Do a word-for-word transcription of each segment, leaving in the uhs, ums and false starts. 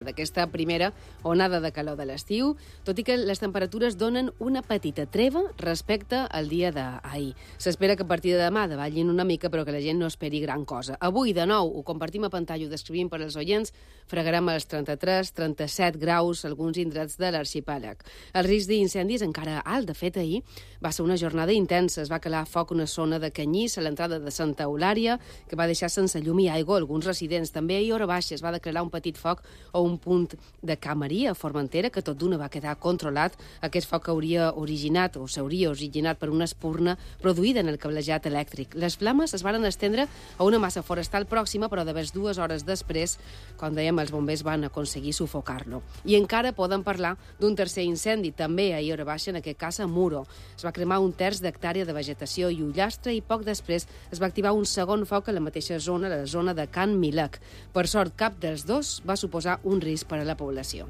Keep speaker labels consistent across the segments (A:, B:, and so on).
A: d'aquesta primera onada de calor de l'estiu, tot i que les temperatures donen una petita treva respecte al dia d'ahir. S'espera que a partir de demà davallin una mica, però que la gent no esperi gran cosa. Avui, de nou, ho compartim a pantalla, ho descrivim per als oients, fregarem als trenta-tres trenta-set graus alguns indrets de l'arxipèlag. El risc d'incendis encara alt. De fet, ahir va ser una jornada intensa. Es va calar foc una zona de Canyís a l'entrada de Santa Eulària, que va deixar sense llum i aigua alguns residents. També ahir, hora baixa, es va declarar un petit foc a un punt de Camarí, a Formentera, que tot d'una va quedar controlat. Aquest foc hauria originat, o s'hauria originat per una espurna produïda en el cablejat elèctric. Les flames es varen estendre a una massa forestal pròxima, però de vers dues hores després, com dèiem, els bombers van aconseguir sufocar-lo. I encara poden parlar d'un tercer incendi, també ahir hora baixa, en aquest cas a Muro. Es va cremar un terç d'hectàrea de vegetació i ullastre i poc després es va activar un segon foc a la mateixa zona, la zona de Can Milec. Per sort, cap dels dos va suposar un risc per a la població.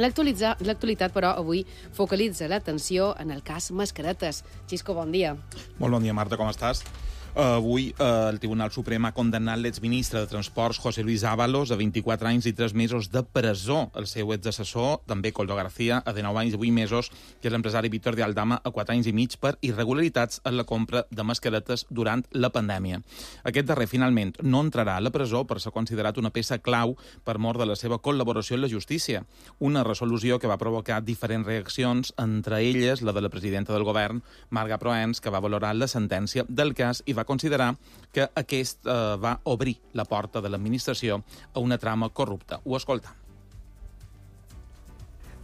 A: L'actualitat, però, avui focalitza l'atenció en el cas Mascaretes. Xisco, bon dia.
B: Molt bon dia, Marta, com estàs? Avui eh, el Tribunal Suprem ha condemnat l'exministre de Transports, José Luis Ábalos, a vint-i-quatre anys i tres mesos de presó. El seu exassessor, també Coldo García, a dinou anys i vuit mesos, que és l'empresari Víctor de Aldama, a quatre anys i mig per irregularitats en la compra de mascaretes durant la pandèmia. Aquest darrer, finalment, no entrarà a la presó per ser considerat una peça clau per mort de la seva col·laboració en la justícia. Una resolució que va provocar diferents reaccions, entre elles la de la presidenta del govern, Marga Proens, que va valorar la sentència del cas i va considerar que aquest eh, va obrir la porta de l'administració a una trama corrupta. Ho escolta.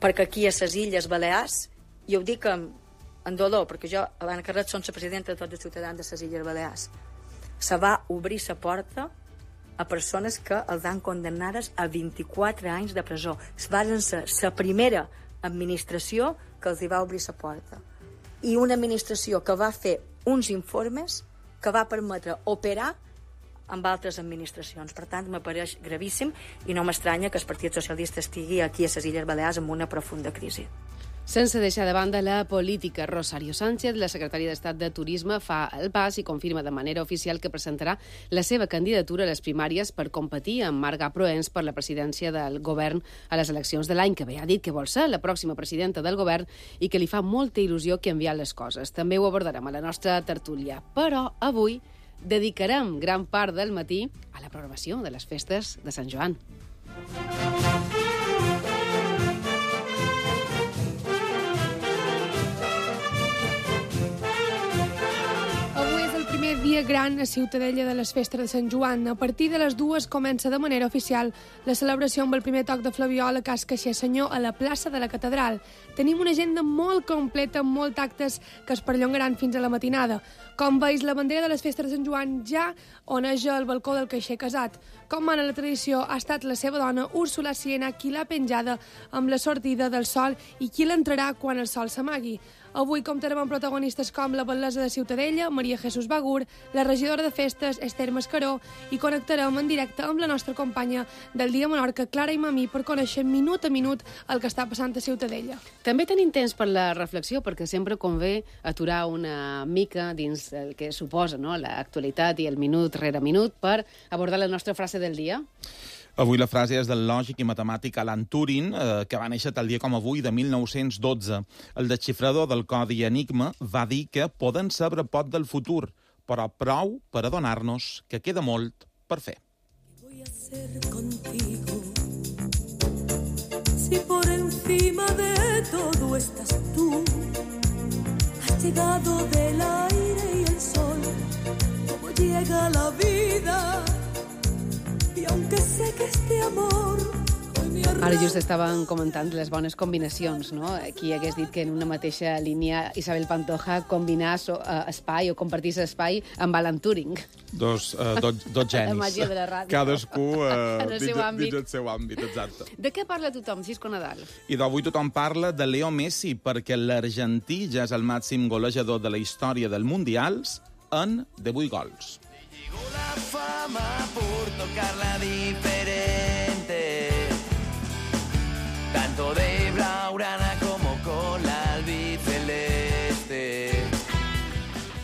C: Perquè aquí a les Illes Balears, i ho dic amb, amb dolor, perquè jo, abans que res, som la presidenta de tots els ciutadans de les Illes Balears, se va obrir la porta a persones que els han condemnades a vint-i-quatre anys de presó. Van ser la primera administració que els hi va obrir la porta. I una administració que va fer uns informes que va permetre operar amb altres administracions. Per tant, m'apareix gravíssim i no m'estranya que el Partit Socialista estigui aquí a les Illes Balears amb una profunda crisi.
A: Sense deixar de banda la política, Rosario Sánchez, la secretària d'Estat de Turisme, fa el pas i confirma de manera oficial que presentarà la seva candidatura a les primàries per competir amb Marga Proens per la presidència del govern a les eleccions de l'any que ve. Ha dit que vol ser la pròxima presidenta del govern i que li fa molta il·lusió canviar les coses. També ho abordarem a la nostra tertúlia. Però avui dedicarem gran part del matí a la programació de les festes de Sant Joan.
D: Dia gran a Ciutadella de les festes de Sant Joan. A partir de les dues comença de manera oficial la celebració amb el primer toc de flaviola Cas Caixer Senyor a la plaça de la Catedral. Tenim una agenda molt completa amb molts actes que es perllongaran fins a la matinada. Com veus, la bandera de les festes de Sant Joan ja oneja el balcó del caixer casat. Com mana la tradició, ha estat la seva dona, Úrsula Siena, qui l'ha penjada amb la sortida del sol i qui l'entrarà quan el sol s'amagui. Avui comptarem amb protagonistes com la batllessa de Ciutadella, Maria Jesús Bagur, la regidora de festes, Esther Mascaró, i connectarem en directe amb la nostra companya del Dia Menorca, Clara Imamí, per conèixer minut a minut el que està passant a Ciutadella.
A: També tenim temps per la reflexió, perquè sempre convé aturar una mica dins el que suposa, no?, l'actualitat i el minut rere minut per abordar la nostra frase del dia.
B: Avui la frase és del lògic i matemàtic Alan Turing, eh, que va néixer tal dia com avui, de mil nou-cents dotze. El desxifrador del codi Enigma va dir que poden saber poc del futur, però prou per adonar-nos que queda molt per fer.
E: Voy a hacer contigo si por encima de todo estás tú? Has llegado del aire y el sol, como llega la vida. I aunque sé que este amor...
A: Ara just estaven comentant les bones combinacions, no? Qui hagués dit que en una mateixa línia Isabel Pantoja combinar so, uh, espai o compartir espai amb Alan Turing.
B: Dos, uh, dos, dos genis.
A: La màgia de la ràdio.
B: Cadascú uh,
A: en el
B: dins,
A: seu àmbit.
B: dins el seu àmbit, exacte.
A: De què parla tothom, Xisco Nadal?
B: I d'avui tothom parla de Leo Messi, perquè l'argentí ja és el màxim golejador de la història dels Mundials en divuit gols.
F: Llegó la fama por tocarla diferente, tanto de blaugrana como con la albiceleste.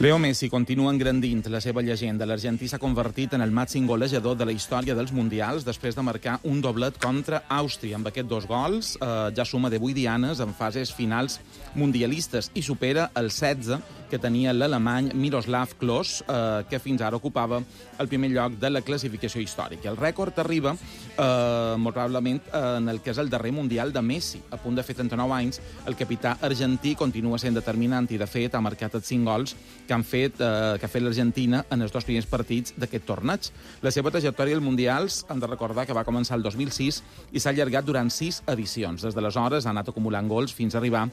B: Leo Messi continua engrandint la seva llegenda. L'argentí s'ha convertit en el màxim golejador de la història dels Mundials després de marcar un doblet contra Àustria. Amb aquests dos gols eh, ja suma divuit dianes en fases finals mundialistes i supera el setze que tenia l'alemany Miroslav Klose, eh, que fins ara ocupava el primer lloc de la classificació històrica. El rècord arriba eh, molt probablement eh, en el que és el darrer Mundial de Messi. A punt de fer trenta-nou anys, el capità argentí continua sent determinant i, de fet, ha marcat els cinc gols que han fet, eh, que ha fet l'Argentina en els dos primers partits d'aquest torneig. La seva trajectòria als Mundials, hem de recordar que va començar el dos mil sis i s'ha allargat durant sis edicions. Des d'aleshores ha anat acumulant gols fins a arribar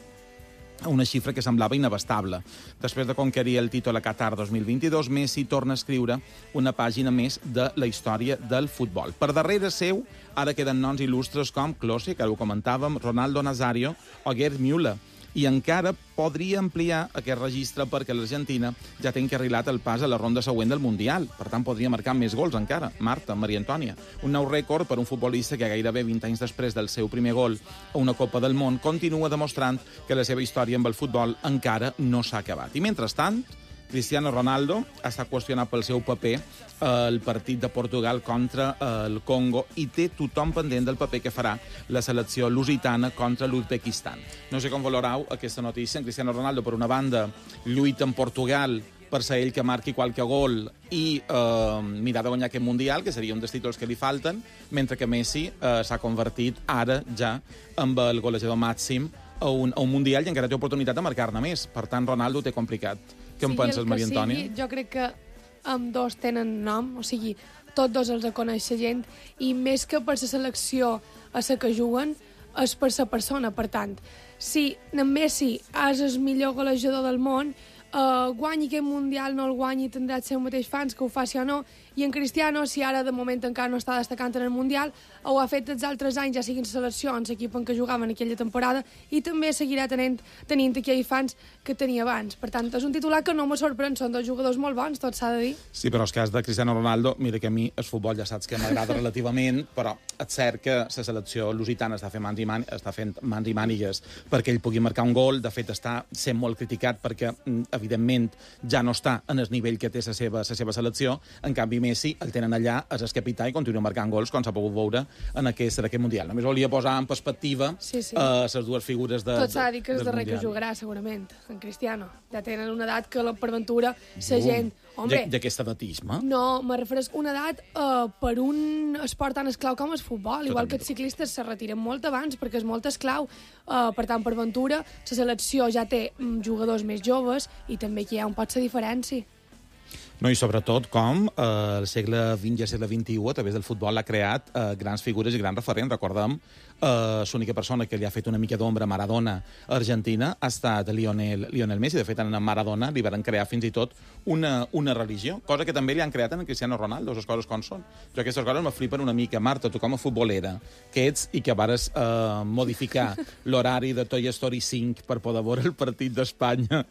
B: a una xifra que semblava inabastable. Després de conquerir el títol a Qatar dos mil vint-i-dos, Messi torna a escriure una pàgina més de la història del futbol. Per darrere seu, ara queden noms il·lustres com Klose, que ho comentàvem, Ronaldo Nazario o Gerd Müller. I encara podria ampliar aquest registre perquè l'Argentina ja té encarrilat el pas a la ronda següent del Mundial. Per tant, podria marcar més gols encara. Marta, Maria Antònia. Un nou rècord per un futbolista que gairebé vint anys després del seu primer gol a una Copa del Món continua demostrant que la seva història amb el futbol encara no s'ha acabat. I mentrestant, Cristiano Ronaldo està qüestionat pel seu paper al partit de Portugal contra el Congo i té tothom pendent del paper que farà la selecció lusitana contra l'Uzbekistan. No sé com valorau aquesta notícia. En Cristiano Ronaldo, per una banda, lluita en Portugal per ser ell que marqui qualque gol i eh, mirar de guanyar aquest Mundial, que seria un dels títols que li falten, mentre que Messi eh, s'ha convertit ara ja en el golejador màxim a un, a un Mundial i encara té oportunitat de marcar-ne més. Per tant, Ronaldo té complicat. Què en penses, Maria Antònia?
D: Sigui, jo crec que amb dos tenen nom, o sigui, tots dos els coneix la gent, i més que per la selecció a la que juguen, és per la persona. Per tant, si en Messi és el millor golejador del món, Uh, guanyi aquest Mundial, no el guanyi, tindrà els seus mateixos fans, que ho faci o no. I en Cristiano, si ara de moment encara no està destacant en el Mundial, ho ha fet els altres anys, ja siguin seleccions, l'equip en què jugava en aquella temporada, i també seguirà tenint, tenint aquells fans que tenia abans. Per tant, és un titular que no me sorprèn, són dos jugadors molt bons, tot s'ha de dir.
B: Sí, però el cas de Cristiano Ronaldo, mira que a mi el futbol ja saps que m'agrada relativament, però és cert que la selecció lusitana està fent mans i, man està fent mans i mànigues perquè ell pugui marcar un gol. De fet, està sent molt criticat perquè evidentment ja no està en el nivell que té la seva, la seva selecció. En canvi, Messi el tenen allà, és el capità i continua marcant gols, com s'ha pogut veure en aquest, en aquest Mundial. Només volia posar en perspectiva
D: sí, sí.
B: Uh, les dues figures de,
D: tot s'ha de dir que és
B: del
D: darrer
B: Mundial.
D: Que jugarà, segurament, en Cristiano. Ja tenen una edat que, per aventura, la gent... Hombre,
B: I aquest edatisme?
D: No, me refereix una edat uh, per un esport tan esclau com el futbol. Igual que els ciclistes se retiren molt abans perquè és molt esclau. Uh, per tant, per aventura, la selecció ja té um, jugadors més joves i també aquí hi ha un pot la diferència.
B: No, i sobretot com eh, el segle vint i el segle vint-i-u, a través del futbol, ha creat eh, grans figures i grans referents. Recordem, eh, l'única persona que li ha fet una mica d'ombra a Maradona a Argentina ha estat Lionel, Lionel Messi. De fet, en Maradona li van crear fins i tot una, una religió, cosa que també li han creat en Cristiano Ronaldo, les coses com són. Jo aquestes coses me flipen una mica. Marta, tu com a futbolera que ets i que vares eh, modificar l'horari de Toy Story cinc per poder veure el partit d'Espanya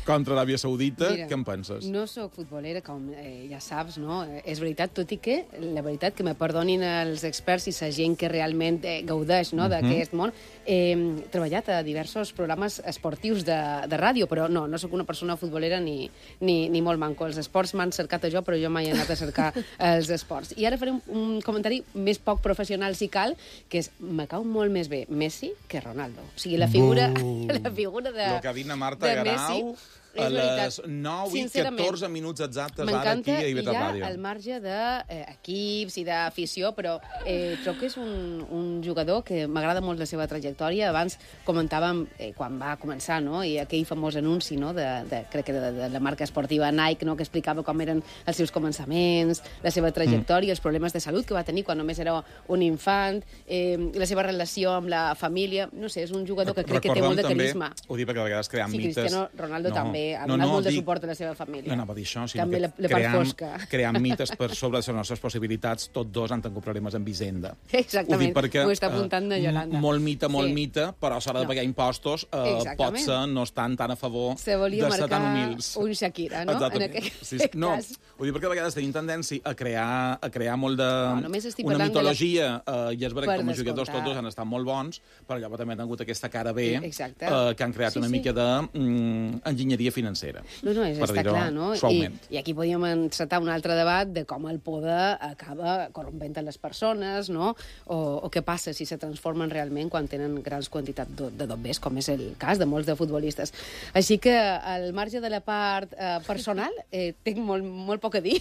B: contra l'Aràbia Saudita,
A: Mira,
B: què en penses?
A: No sóc futbolera, com eh, ja saps, no? És veritat, tot i que, la veritat, que me perdonin els experts i la gent que realment eh, gaudeix no, d'aquest món. Eh, he treballat a diversos programes esportius de, de ràdio, però no, no sóc una persona futbolera ni, ni, ni molt manco. Els esports m'han cercat a jo, però jo mai he anat a cercar els esports. I ara faré un, un comentari més poc professional, si cal, que és, me cau molt més bé Messi que Ronaldo. O sigui, la figura, la figura de,
B: Lo que ha dit Marta
A: de
B: Garau...
A: Messi...
B: A les nou i catorze minuts exactes ara aquí a Ivetra Ràdio.
A: M'encanta, al marge d'equips eh, i d'afició, però eh, trobo que és un, un jugador que m'agrada molt la seva trajectòria. Abans comentàvem eh, quan va començar, no?, i aquell famós anunci, no?, de, de, crec que de, de la marca esportiva Nike, no?, que explicava com eren els seus començaments, la seva trajectòria, mm. els problemes de salut que va tenir quan només era un infant, eh, la seva relació amb la família. No sé, és un jugador que crec
B: Recordem
A: que té molt de
B: també,
A: carisma.
B: Ho dic perquè a vegades creem
A: sí,
B: mites...
A: Cristiano Ronaldo
B: no.
A: també ha
B: no,
A: donat
B: no,
A: molt de
B: dic...
A: suport a la seva família.
B: No anava a dir això, sinó
A: també
B: que
A: la, la part
B: cream,
A: fosca.
B: cream mites per sobre les nostres possibilitats. Tots dos han tingut problemes amb Hisenda.
A: Exactament,
B: perquè,
A: ho està apuntant de Yolanda.
B: Molt mite, molt
A: sí.
B: mite, però a l'hora de pagar no. impostos eh, potser no estan tan a favor
A: se volia
B: de ser tan
A: marcar
B: humils.
A: un Shakira, no?
B: Exactament.
A: En aquest
B: sí, sí. No,
A: cas.
B: ho dic perquè a vegades tenim tendència a crear, a crear molt de...
A: No,
B: una mitologia, la... eh, i és veritat que com a jugadors
A: descomptar.
B: tots dos han estat molt bons, però llavors també han tingut aquesta cara B
A: Exacte.
B: eh, que han creat
A: sí,
B: una
A: sí.
B: mica d'enginyeria via financera.
A: No, no, és, està clar, no? I, I aquí podíem encetar un altre debat de com el poder acaba corrompent les persones, no? O, o què passa si se transformen realment quan tenen grans quantitats de, de dobbers, com és el cas de molts de futbolistes. Així que, al marge de la part eh, personal, eh, tinc molt, molt poc a dir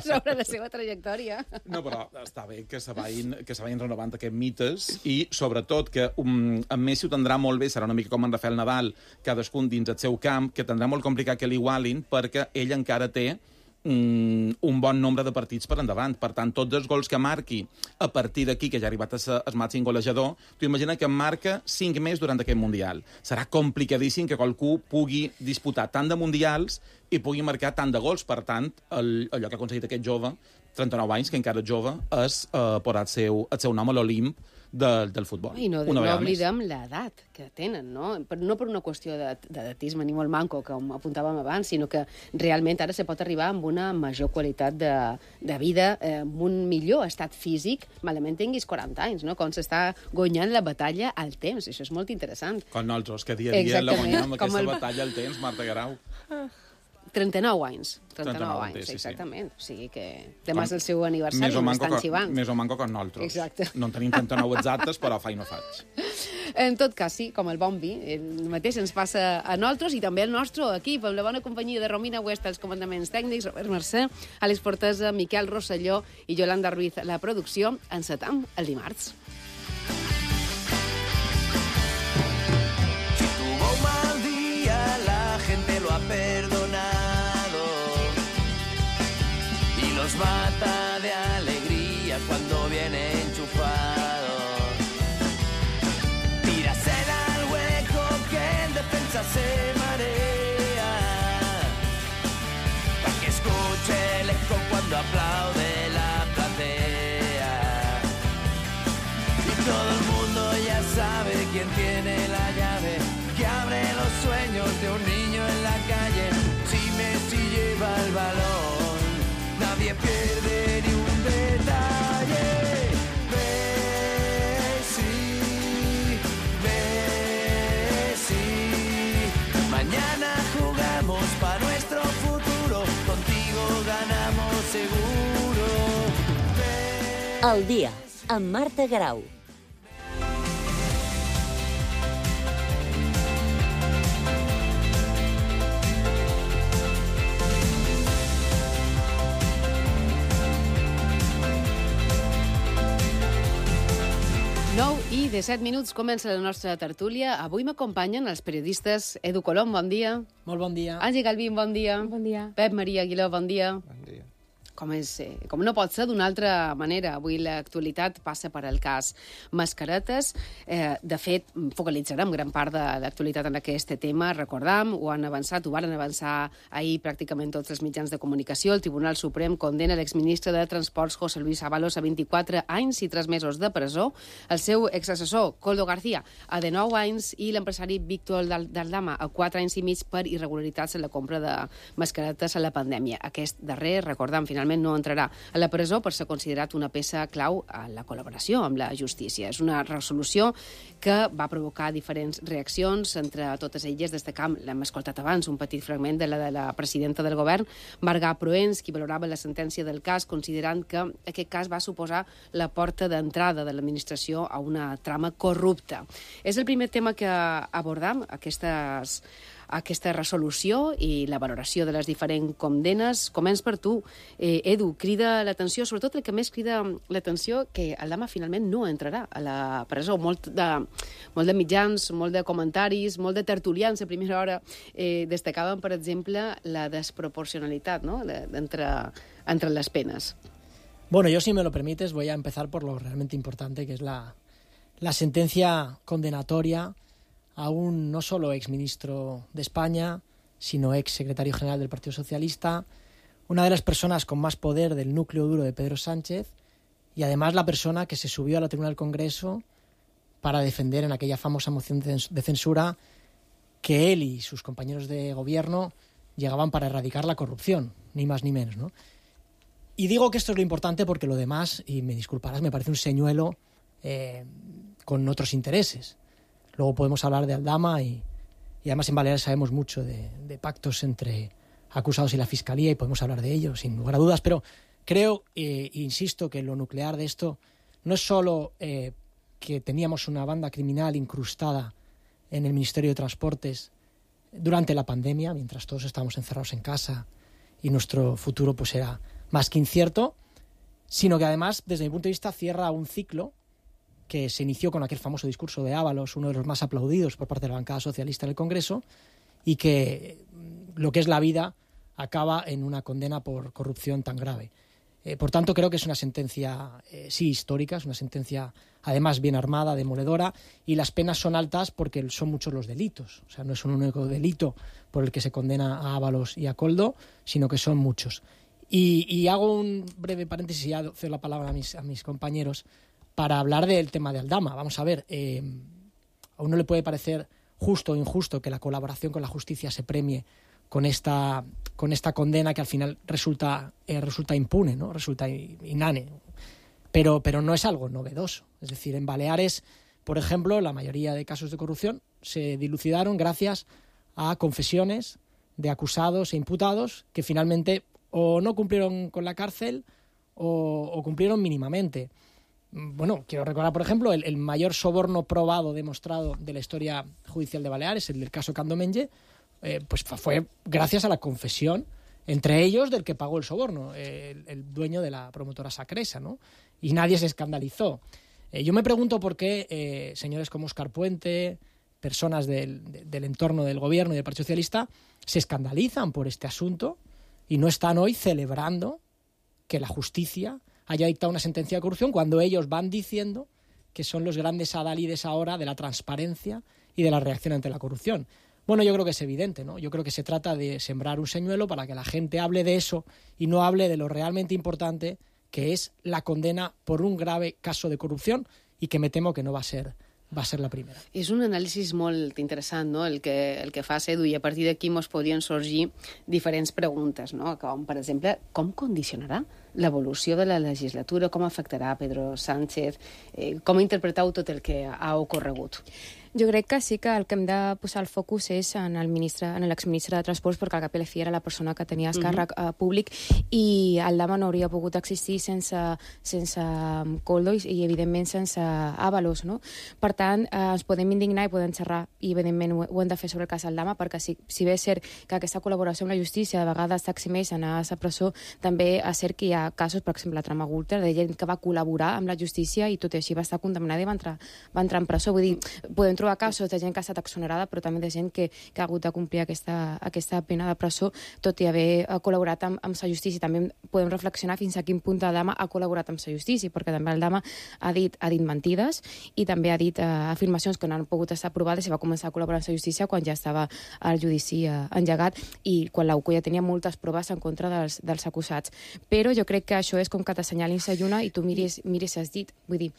A: sobre la seva trajectòria.
B: No, però està bé que se vagin, que se vagin renovant aquests mites i, sobretot, que um, en Messi ho tindrà molt bé, serà una mica com en Rafael Nadal, cadascun dins el seu camp, que tindrà molt complicat que l'igualin perquè ell encara té um, un bon nombre de partits per endavant. Per tant, tots els gols que marqui a partir d'aquí, que ja ha arribat a ser el màxim golejador, tu imagina que en marca cinc més durant aquest Mundial. Serà complicadíssim que qualcú pugui disputar tant de Mundials i pugui marcar tant de gols. Per tant, el, allò que ha aconseguit aquest jove, trenta-nou anys, que encara és jove, és uh, posar el seu, el seu nom a l'Olimp de, del futbol.
A: I no, no oblidem l'edat que tenen, no? No per una qüestió d'edatisme ni molt manco, com apuntàvem abans, sinó que realment ara se pot arribar amb una major qualitat de, de vida, eh, amb un millor estat físic, malament tinguis quaranta anys, no? Com s'està guanyant la batalla al temps. Això és molt interessant.
B: Com nosaltres, que dia a dia la guanyem aquesta el... batalla al temps, Marta Guerau.
A: Ah. trenta-nou anys. trenta-nou anys, sí, exactament. Sí. O sigui que demà és el seu aniversari, m'estan xivant.
B: Més o manco que nosaltres.
A: Exacte.
B: No en tenim trenta-nou exactes, però fa i no faig.
A: En tot cas, sí, com el bon vi, el mateix ens passa a nosaltres i també al nostre equip, amb la bona companyia de Romina Huesta, els comandaments tècnics, Robert Mercè, Àlex Portesa, Miquel Rosselló i Yolanda Ruiz, la producció. Encetam el dimarts.
F: Si tuvo un mal día, la gente lo ha perdonado. Los mata de alegría cuando viene enchufado. Tírasela al hueco que en defensa se marea, pa' que escuche el eco cuando aplaude la platea. Y todo el mundo ya sabe quién tiene la llave que abre los sueños de un niño en la calle. Si Messi lleva el balón, nadie pierde ni un detalle. Messi, Messi. Mañana jugamos para nuestro futuro. Contigo ganamos seguro. Messi.
G: El dia, amb Marta Guerau.
A: nou i disset minuts comença la nostra tertúlia. Avui m'acompanyen els periodistes Edu Colom, bon dia.
H: Molt bon dia.
A: Àngel Galvín, bon dia.
D: Bon dia.
A: Pep Maria Aguiló, bon dia.
I: Bon dia.
A: Com, és, com no pot ser d'una altra manera. Avui l'actualitat passa per al cas Mascaretes. Eh, de fet, focalitzarem gran part de l'actualitat en aquest tema. Recordam, ho han avançat, ho van avançar ahir pràcticament tots els mitjans de comunicació. El Tribunal Suprem condena l'exministre de Transports José Luis Ábalos a vint-i-quatre anys i tres mesos de presó, el seu exassessor Koldo García a dinou anys i l'empresari Víctor Daldama a quatre anys i mig per irregularitats en la compra de mascaretes a la pandèmia. Aquest darrer, recordam, finalment no entrarà a la presó per ser considerat una peça clau a la col·laboració amb la justícia. És una resolució que va provocar diferents reaccions, entre totes elles destacam, l'hem escoltat abans, un petit fragment de la de la presidenta del govern, Marga Proens, qui valorava la sentència del cas, considerant que aquest cas va suposar la porta d'entrada de l'administració a una trama corrupta. És el primer tema que abordam, aquestes aquesta resolució i la valoració de les diferents condemnes. Començ per tu. Eh, Edu, crida l'atenció, sobretot el que més crida l'atenció, que Aldama finalment no entrarà a la presó. Molt de, molt de mitjans, molt de comentaris, molt de tertulians a primera hora eh, destacaven, per exemple, la desproporcionalitat, ¿no?, entre, entre les penes.
H: Bueno, yo, si me lo permites, voy a empezar por lo realmente importante, que es la, la sentencia condenatoria a un no solo exministro de España, sino ex secretario general del Partido Socialista, una de las personas con más poder del núcleo duro de Pedro Sánchez y además la persona que se subió a la tribuna del Congreso para defender en aquella famosa moción de censura que él y sus compañeros de gobierno llegaban para erradicar la corrupción, ni más ni menos, ¿no? Y digo que esto es lo importante porque lo demás, y me disculparás, me parece un señuelo eh, con otros intereses. Luego podemos hablar de Aldama y, y además en Baleares sabemos mucho de, de pactos entre acusados y la Fiscalía y podemos hablar de ello sin lugar a dudas, pero creo, eh, insisto, que lo nuclear de esto no es solo eh, que teníamos una banda criminal incrustada en el Ministerio de Transportes durante la pandemia, mientras todos estábamos encerrados en casa y nuestro futuro pues era más que incierto, sino que además, desde mi punto de vista, cierra un ciclo que se inició con aquel famoso discurso de Ábalos, uno de los más aplaudidos por parte de la bancada socialista en el Congreso, y que lo que es la vida acaba en una condena por corrupción tan grave. Eh, por tanto, creo que es una sentencia, eh, sí, histórica, es una sentencia, además, bien armada, demoledora, y las penas son altas porque son muchos los delitos. O sea, no es un único delito por el que se condena a Ábalos y a Koldo, sino que son muchos. Y, y hago un breve paréntesis y ya cedo la palabra a mis, a mis compañeros para hablar del tema de Aldama. Vamos a ver, eh, a uno le puede parecer justo o injusto que la colaboración con la justicia se premie con esta, con esta condena que al final resulta, eh, resulta impune, ¿no? Resulta inane. Pero, pero no es algo novedoso. Es decir, en Baleares, por ejemplo, la mayoría de casos de corrupción se dilucidaron gracias a confesiones de acusados e imputados que finalmente o no cumplieron con la cárcel o, o cumplieron mínimamente. Bueno, quiero recordar, por ejemplo, el, el mayor soborno probado, demostrado de la historia judicial de Baleares, el del caso Candomenge, eh, pues fue gracias a la confesión, entre ellos, del que pagó el soborno, eh, el, el dueño de la promotora Sacresa, ¿no? Y nadie se escandalizó. Eh, yo me pregunto por qué eh, señores como Óscar Puente, personas del, de, del entorno del gobierno y del Partido Socialista, se escandalizan por este asunto y no están hoy celebrando que la justicia haya dictado una sentencia de corrupción cuando ellos van diciendo que son los grandes adalides ahora de la transparencia y de la reacción ante la corrupción. Bueno, yo creo que es evidente, ¿no? Yo creo que se trata de sembrar un señuelo para que la gente hable de eso y no hable de lo realmente importante, que es la condena por un grave caso de corrupción y que me temo que no va a ser va a ser la primera.
A: És un anàlisi molt interessant, no?, el que, el que fas, Edu, i a partir d'aquí mos podrien sorgir diferents preguntes, no?, com, per exemple, com condicionarà l'evolució de la legislatura, com afectarà Pedro Sánchez, eh, com interpreteu tot el que ha ocorregut?
I: Jo crec que sí que el que hem de posar el focus és en el ministre, en l'exministre de Transports, perquè al cap i a la fi era la persona que tenia el càrrec uh -huh. uh, públic, i el Dama no hauria pogut existir sense, sense Koldo i, i evidentment sense Ábalos, no? Per tant, uh, ens podem indignar i podem xerrar, i evidentment ho, ho hem de fer sobre el cas del Dama, perquè si, si bé és cert que aquesta col·laboració amb la justícia de vegades s'eximeix anar a la presó, també és cert que hi ha casos, per exemple, la trama Gürtel, de gent que va col·laborar amb la justícia i tot i així va estar condemnada i va entrar, va entrar en presó. Vull dir, podem trobar casos de gent que ha estat exonerada, però també de gent que, que ha hagut de complir aquesta, aquesta pena de presó, tot i haver col·laborat amb, amb la justícia. També podem reflexionar fins a quin punt el Dama ha col·laborat amb la justícia, perquè també el Dama ha dit, ha dit mentides i també ha dit uh, afirmacions que no han pogut estar aprovades i va començar a col·laborar amb la justícia quan ja estava el judici uh, engegat i quan l'U C U ja tenia moltes proves en contra dels, dels acusats. Però jo crec que això és com que t'assenyalin la lluna i tu miris, miris has dit. Vull dir,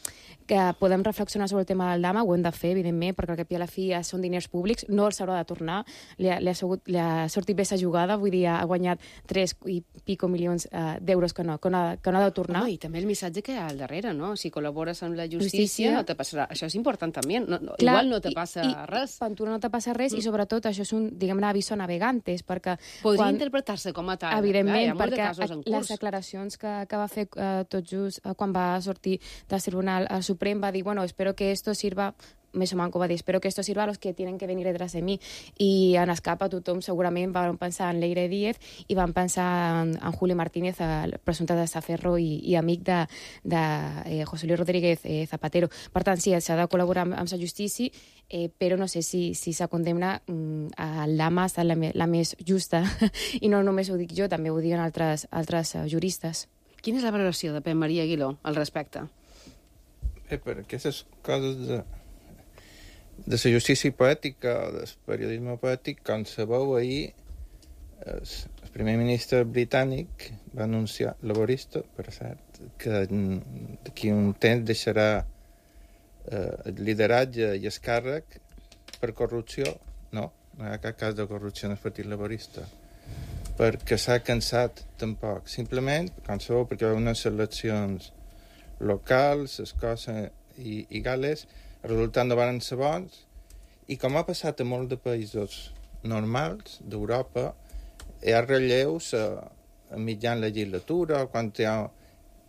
I: que podem reflexionar sobre el tema del Dama, ho hem de fer, evidentment, perquè al cap i a la fi ja són diners públics, no els haurà de tornar, li ha, li ha, segut, li ha sortit bé sa jugada, vull dir, ha guanyat tres i pico milions uh, d'euros que no, que, no ha, que no ha de tornar.
A: Home, i també el missatge que hi ha al darrere, no? Si col·labores amb la justícia, justícia. no te passarà. Això és important també. No, no, Clar, igual no te passa
I: i, i,
A: res.
I: Pantura no te passa res mm. i sobretot això és un, diguem-ne, aviso navegantes, perquè...
A: Podria quan, interpretar-se com a tal.
I: Evidentment,
A: eh?
I: perquè de les declaracions que, que va fer uh, tot just uh, quan va sortir del Tribunal uh, Suprem va dir, bueno, espero que esto sirva més o manco va dir, espero que esto sirva a los que tienen que venir detrás de mi. I en escapa tothom segurament van pensar en Leire Díez i van pensar en, en Julio Martínez, el presumpte de Saferro i, i amic de, de eh, José Luis Rodríguez eh, Zapatero. Per tant, sí, s'ha de col·laborar amb, amb la justícia, eh, però no sé si, si s'ha condemna mm, a l'Dama ha estat la, la més justa i no només ho dic jo, també ho diuen altres, altres uh, juristes.
A: Quina és la valoració de Pep Maria Aguiló al respecte?
J: Eh, per aquestes coses de de la justícia poètica o del periodisme poètic, com sabeu, ahir el, el primer ministre britànic va anunciar, laborista, per cert, que d'aquí un temps deixarà eh, el lideratge i el càrrec per corrupció. No, no hi ha cap cas de corrupció en el Partit Laborista, perquè s'ha cansat tampoc. Simplement, com sabeu, perquè hi ha unes eleccions locals, Escòcia i, i Gales, el resultat no van ser bons I com ha passat a molts de països normals d'Europa, hi ha relleus a, a mitjan legislatura, quan hi ha...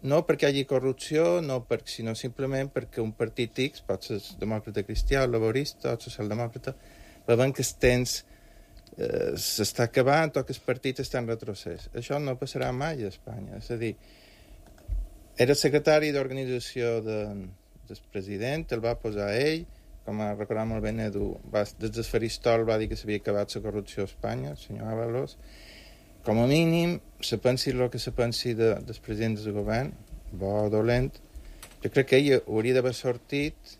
J: No perquè hi hagi corrupció, no per, sinó simplement perquè un partit X, pot ser demòcrata cristià, laborista o socialdemòcrata, veuen que el temps eh, s'està acabant o que el partit està en retrocés. Això no passarà mai a Espanya. És a dir, era secretari d'organització de, del president, el va posar ell, com ha recordat molt bé Edu, va, des del faristol va dir que s'havia acabat la corrupció a Espanya, el senyor Ábalos. Com a mínim, se pensi el que se pensi de, dels presidents del govern, bo o dolent, jo crec que ell hauria d'haver sortit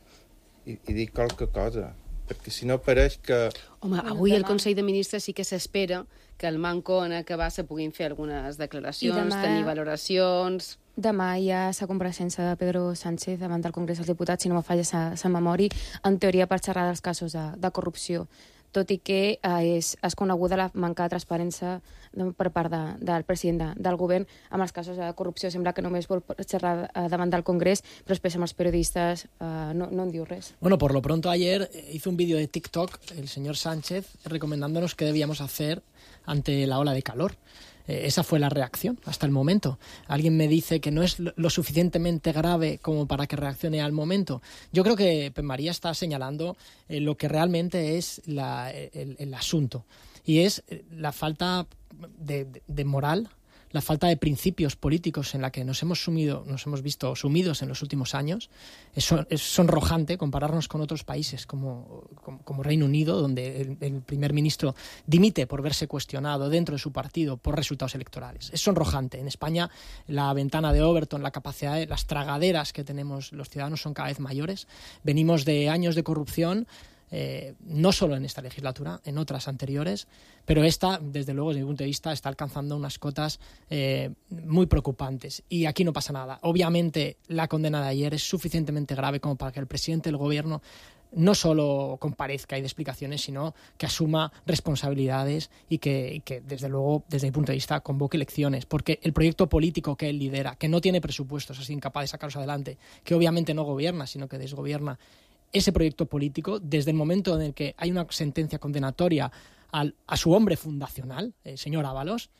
J: i, i dir qualque cosa, perquè si no pareix que...
A: Home, avui el Consell de Ministres sí que s'espera que el manco en acabar se puguin fer algunes declaracions, demà... tenir valoracions...
I: Demà hi ha la compareixença de Pedro Sánchez davant del Congrés dels Diputats, si no me falla la memòria, en teoria per xerrar dels casos de, de corrupció, tot i que eh, és, és coneguda la manca de transparència de, per part de, del president de, del govern amb els casos de corrupció. Sembla que només vol xerrar eh, davant del Congrés, però després amb els periodistes eh, no, no en diu res.
H: Bueno, por lo pronto ayer hizo un vídeo de TikTok el señor Sánchez recomendándonos qué debíamos hacer ante la ola de calor. Eh, esa fue la reacción hasta el momento. Alguien me dice que no es lo suficientemente grave como para que reaccione al momento. Yo creo que Pep María está señalando eh, lo que realmente es la, el, el asunto. Y es la falta de, de, de moral, la falta de principios políticos en la que nos hemos sumido, nos hemos visto sumidos en los últimos años. Es, es sonrojante compararnos con otros países como, como, como Reino Unido, donde el, el primer ministro dimite por verse cuestionado dentro de su partido por resultados electorales. Es sonrojante. En España la ventana de Overton, la capacidad de las tragaderas que tenemos los ciudadanos son cada vez mayores. Venimos de años de corrupción, Eh, no solo en esta legislatura, en otras anteriores, pero esta, desde luego, desde mi punto de vista, está alcanzando unas cotas eh, muy preocupantes. Y aquí no pasa nada. Obviamente, la condena de ayer es suficientemente grave como para que el presidente del gobierno no solo comparezca y dé explicaciones, sino que asuma responsabilidades y que, y que, desde luego, desde mi punto de vista, convoque elecciones. Porque el proyecto político que él lidera, que no tiene presupuestos, es incapaz de sacarlos adelante, que obviamente no gobierna, sino que desgobierna, ese proyecto político, desde el momento en el que hay una sentencia condenatoria al, a su hombre fundacional, el señor Ábalos,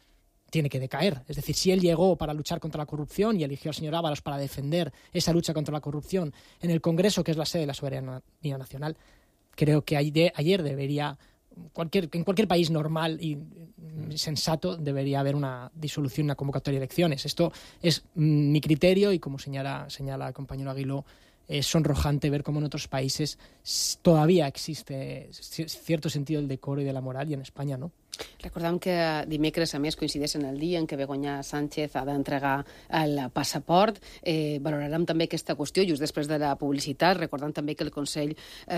H: tiene que decaer. Es decir, si él llegó para luchar contra la corrupción y eligió al señor Ábalos para defender esa lucha contra la corrupción en el Congreso, que es la sede de la soberanía nacional, creo que ayer debería, cualquier, en cualquier país normal y sensato, debería haber una disolución, una convocatoria de elecciones. Esto es mi criterio y, como señala, señala el compañero Aguiló, es sonrojante ver cómo en otros países todavía existe cierto sentido del decoro y de la moral y en España no.
A: Recordem que dimecres, a més, coincideix en el dia en què Begoña Sánchez ha d'entregar el passaport. Eh, valorarem també aquesta qüestió just després de la publicitat, recordant també que el Consell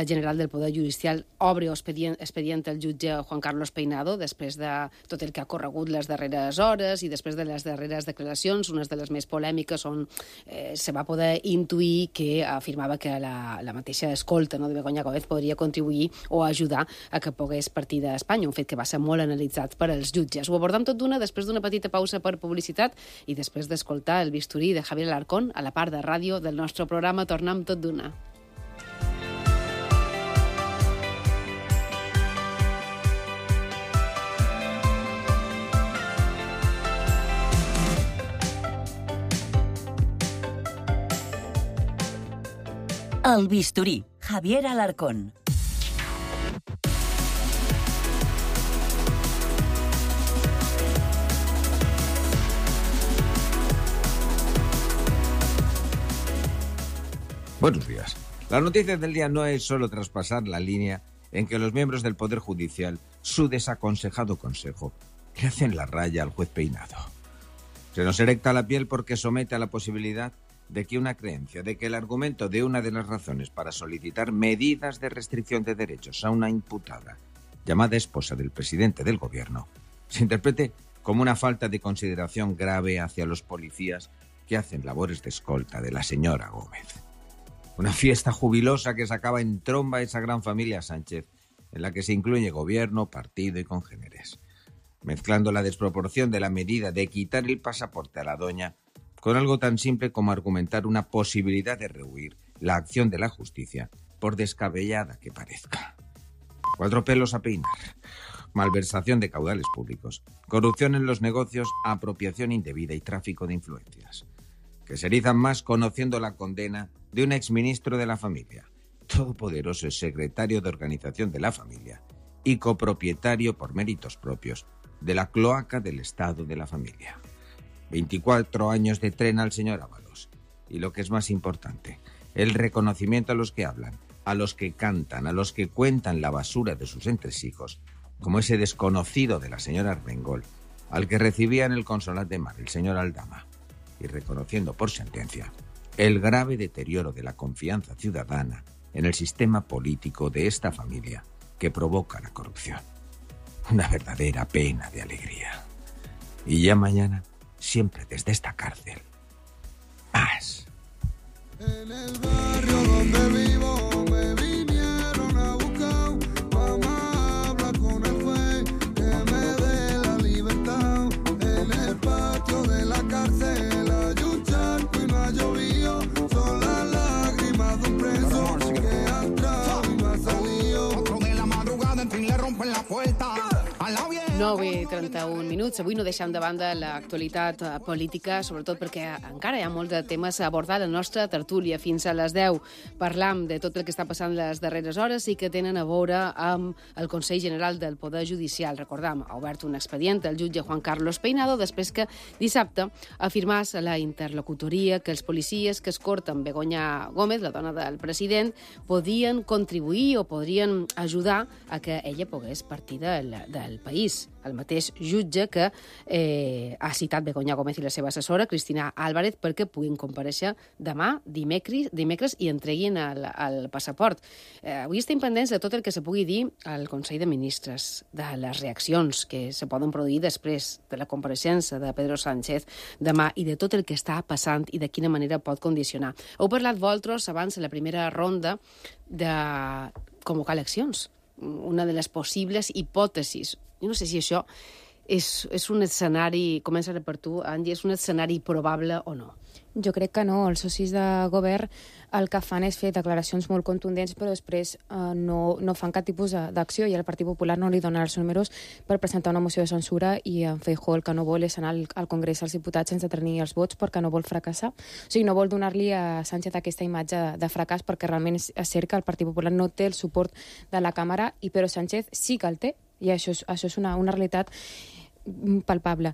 A: General del Poder Judicial obre expedient, expedient el jutge Juan Carlos Peinado després de tot el que ha corregut les darreres hores i després de les darreres declaracions, unes de les més polèmiques on eh, se va poder intuir que afirmava que la, la mateixa escolta, no, de Begoña Gómez podria contribuir o ajudar a que pogués partir d'Espanya, un fet que va ser molt analitzats per als jutges. Ho abordam tot d'una després d'una petita pausa per publicitat i després d'escoltar el bisturí de Javier Alarcón a la part de ràdio del nostre programa. Tornem tot d'una.
G: El bisturí, Javier Alarcón.
K: Buenos días. La noticia del día no es solo traspasar la línea en que los miembros del Poder Judicial, su desaconsejado consejo, le hacen la raya al juez Peinado. Se nos erecta la piel porque somete a la posibilidad de que una creencia, de que el argumento de una de las razones para solicitar medidas de restricción de derechos a una imputada, llamada esposa del presidente del gobierno, se interprete como una falta de consideración grave hacia los policías que hacen labores de escolta de la señora Gómez. Una fiesta jubilosa que sacaba en tromba esa gran familia Sánchez, en la que se incluye gobierno, partido y congéneres, mezclando la desproporción de la medida de quitar el pasaporte a la doña con algo tan simple como argumentar una posibilidad de rehuir la acción de la justicia, por descabellada que parezca. Cuatro pelos a peinar. Malversación de caudales públicos, corrupción en los negocios, apropiación indebida y tráfico de influencias. Que se erizan más conociendo la condena de un exministro de la familia, todopoderoso secretario de organización de la familia y copropietario por méritos propios de la cloaca del Estado de la familia. veinticuatro años de tren al señor Ábalos. Y lo que es más importante, el reconocimiento a los que hablan, a los que cantan, a los que cuentan la basura de sus entresijos, como ese desconocido de la señora Armengol, al que recibía en el Consolat de Mar el señor Aldama, y reconociendo por sentencia el grave deterioro de la confianza ciudadana en el sistema político de esta familia que provoca la corrupción. Una verdadera pena de alegría. Y ya mañana, siempre desde esta cárcel, más.
L: En el barrio donde vivo me vinieron a buscar. Mamá habla con el juez que me dé la libertad. En el patio de la cárcel hay un charco y no ha llovido. Son las lágrimas de un preso que ha entrado y no ha salido. Otro de la madrugada en fin le rompen la puerta.
A: nou i trenta-un minuts. Avui no deixem de banda l'actualitat política, sobretot perquè encara hi ha molts de temes a abordar la nostra tertúlia. Fins a les deu parlam de tot el que està passant les darreres hores i que tenen a veure amb el Consell General del Poder Judicial. Recordam, ha obert un expedient el jutge Juan Carlos Peinado després que dissabte afirmàs a la interlocutoria que els policies que escorten Begoña Gómez, la dona del president, podien contribuir o podrien ajudar a que ella pogués partir del, del país. El mateix jutge que eh, ha citat Begoña Gómez i la seva assessora, Cristina Álvarez, perquè puguin comparèixer demà, dimecres, dimecres i entreguin el, el passaport. Eh, avui estem pendents de tot el que se pugui dir al Consell de Ministres, de les reaccions que se poden produir després de la compareixença de Pedro Sánchez demà i de tot el que està passant i de quina manera pot condicionar. Heu parlat vosaltres abans de la primera ronda de convocar eleccions, una de les possibles hipòtesis. Jo no sé si això és, és un escenari, començaré per tu, Angie, és un escenari probable o no?
I: Jo crec que no. Els socis de govern el que fan és fer declaracions molt contundents, però després eh, no, no fan cap tipus d'acció, i el Partit Popular no li dona els números per presentar una moció de censura, i en Feijóo el que no vol és anar al, al Congrés dels Diputats sense tenir els vots perquè no vol fracassar. O sigui, no vol donar-li a Sánchez aquesta imatge de, de fracàs, perquè realment és, és cert que el Partit Popular no té el suport de la Càmera, i Pedro Sánchez sí que el té, i això és, això és una, una realitat palpable.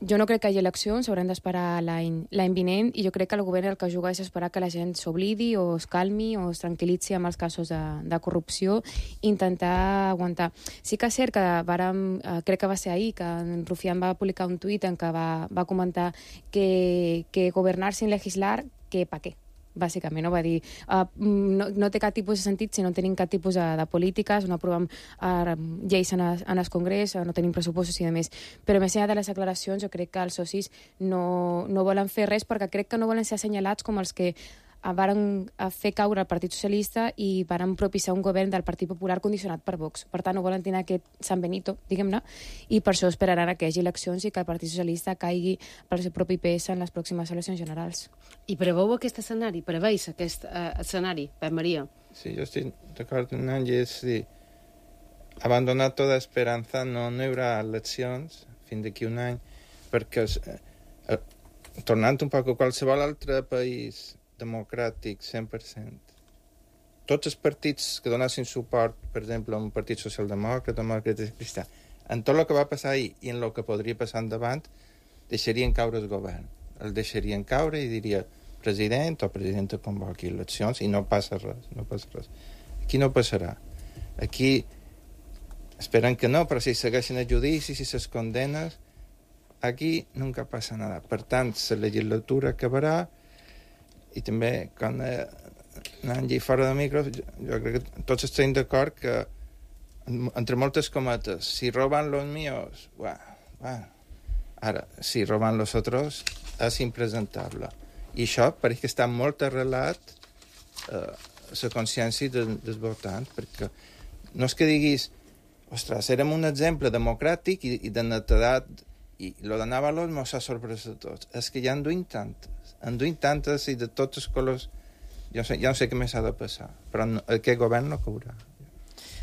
I: Jo no crec que hi hagi eleccions, haurem d'esperar l'any l'any vinent, i jo crec que el govern el que juga és esperar que la gent s'oblidi o es calmi o es tranquil·litzi amb els casos de, de corrupció, intentar aguantar. Sí que és cert que vàrem, eh, crec que va ser ahir, que en Rufián va publicar un tuit en què va, va comentar que, que governar sin legislar, que pa què? Bàsicament, no? Va dir uh, no, no té cap tipus de sentit si no tenim cap tipus de, de polítiques, no aprovem uh, lleis en, es, en el Congrés, no tenim pressupostos i demés. Però més enllà de les declaracions, jo crec que els socis no, no volen fer res, perquè crec que no volen ser assenyalats com els que uh, varen fer caure el Partit Socialista i varen propiciar un govern del Partit Popular condicionat per Vox. Per tant, no volen tenir aquest San Benito, diguem-ne, i per això esperaran que hi hagi eleccions i que el Partit Socialista caigui pel seu propi pes en les pròximes eleccions generals.
A: I preveu aquest escenari? Preveis aquest uh, escenari, Pep Maria?
J: Sí, yo estoy de acuerdo con Angie, és dir, abandonar tota esperança, no, no hi haurà eleccions fins d'aquí un any, perquè eh, eh, tornant un poc a qualsevol altre país democràtic, cent per cent, tots els partits que donessin suport, per exemple, a un partit socialdemòcrata, demòcrata i cristià, en tot el que va passar ahir i en el que podria passar endavant, deixarien caure el govern. El deixarien caure i diria president o presidenta convoqui eleccions i no passa res, no passa res. Aquí no passarà. Aquí esperen que no, però si segueixen a judici, si ses condenes, aquí nunca passa nada. Per tant, la legislatura acabarà i també, quan eh, anant fora de micro, jo, jo crec que tots estem d'acord que, entre moltes cometes, si roban los míos, bueno, bueno. Ara, si roban los otros, és impresentable. I això pareix que està molt arrelat eh, la consciència de, dels votants, perquè no és que diguis, ostres, érem un exemple democràtic i, i de netedat, i lo de Návalos mos ha sorprès a tots. És que ja en duim tantes, en duim tantes i de tots els colors, jo, sé, jo no sé què més ha de passar, però no, aquest govern no caurà.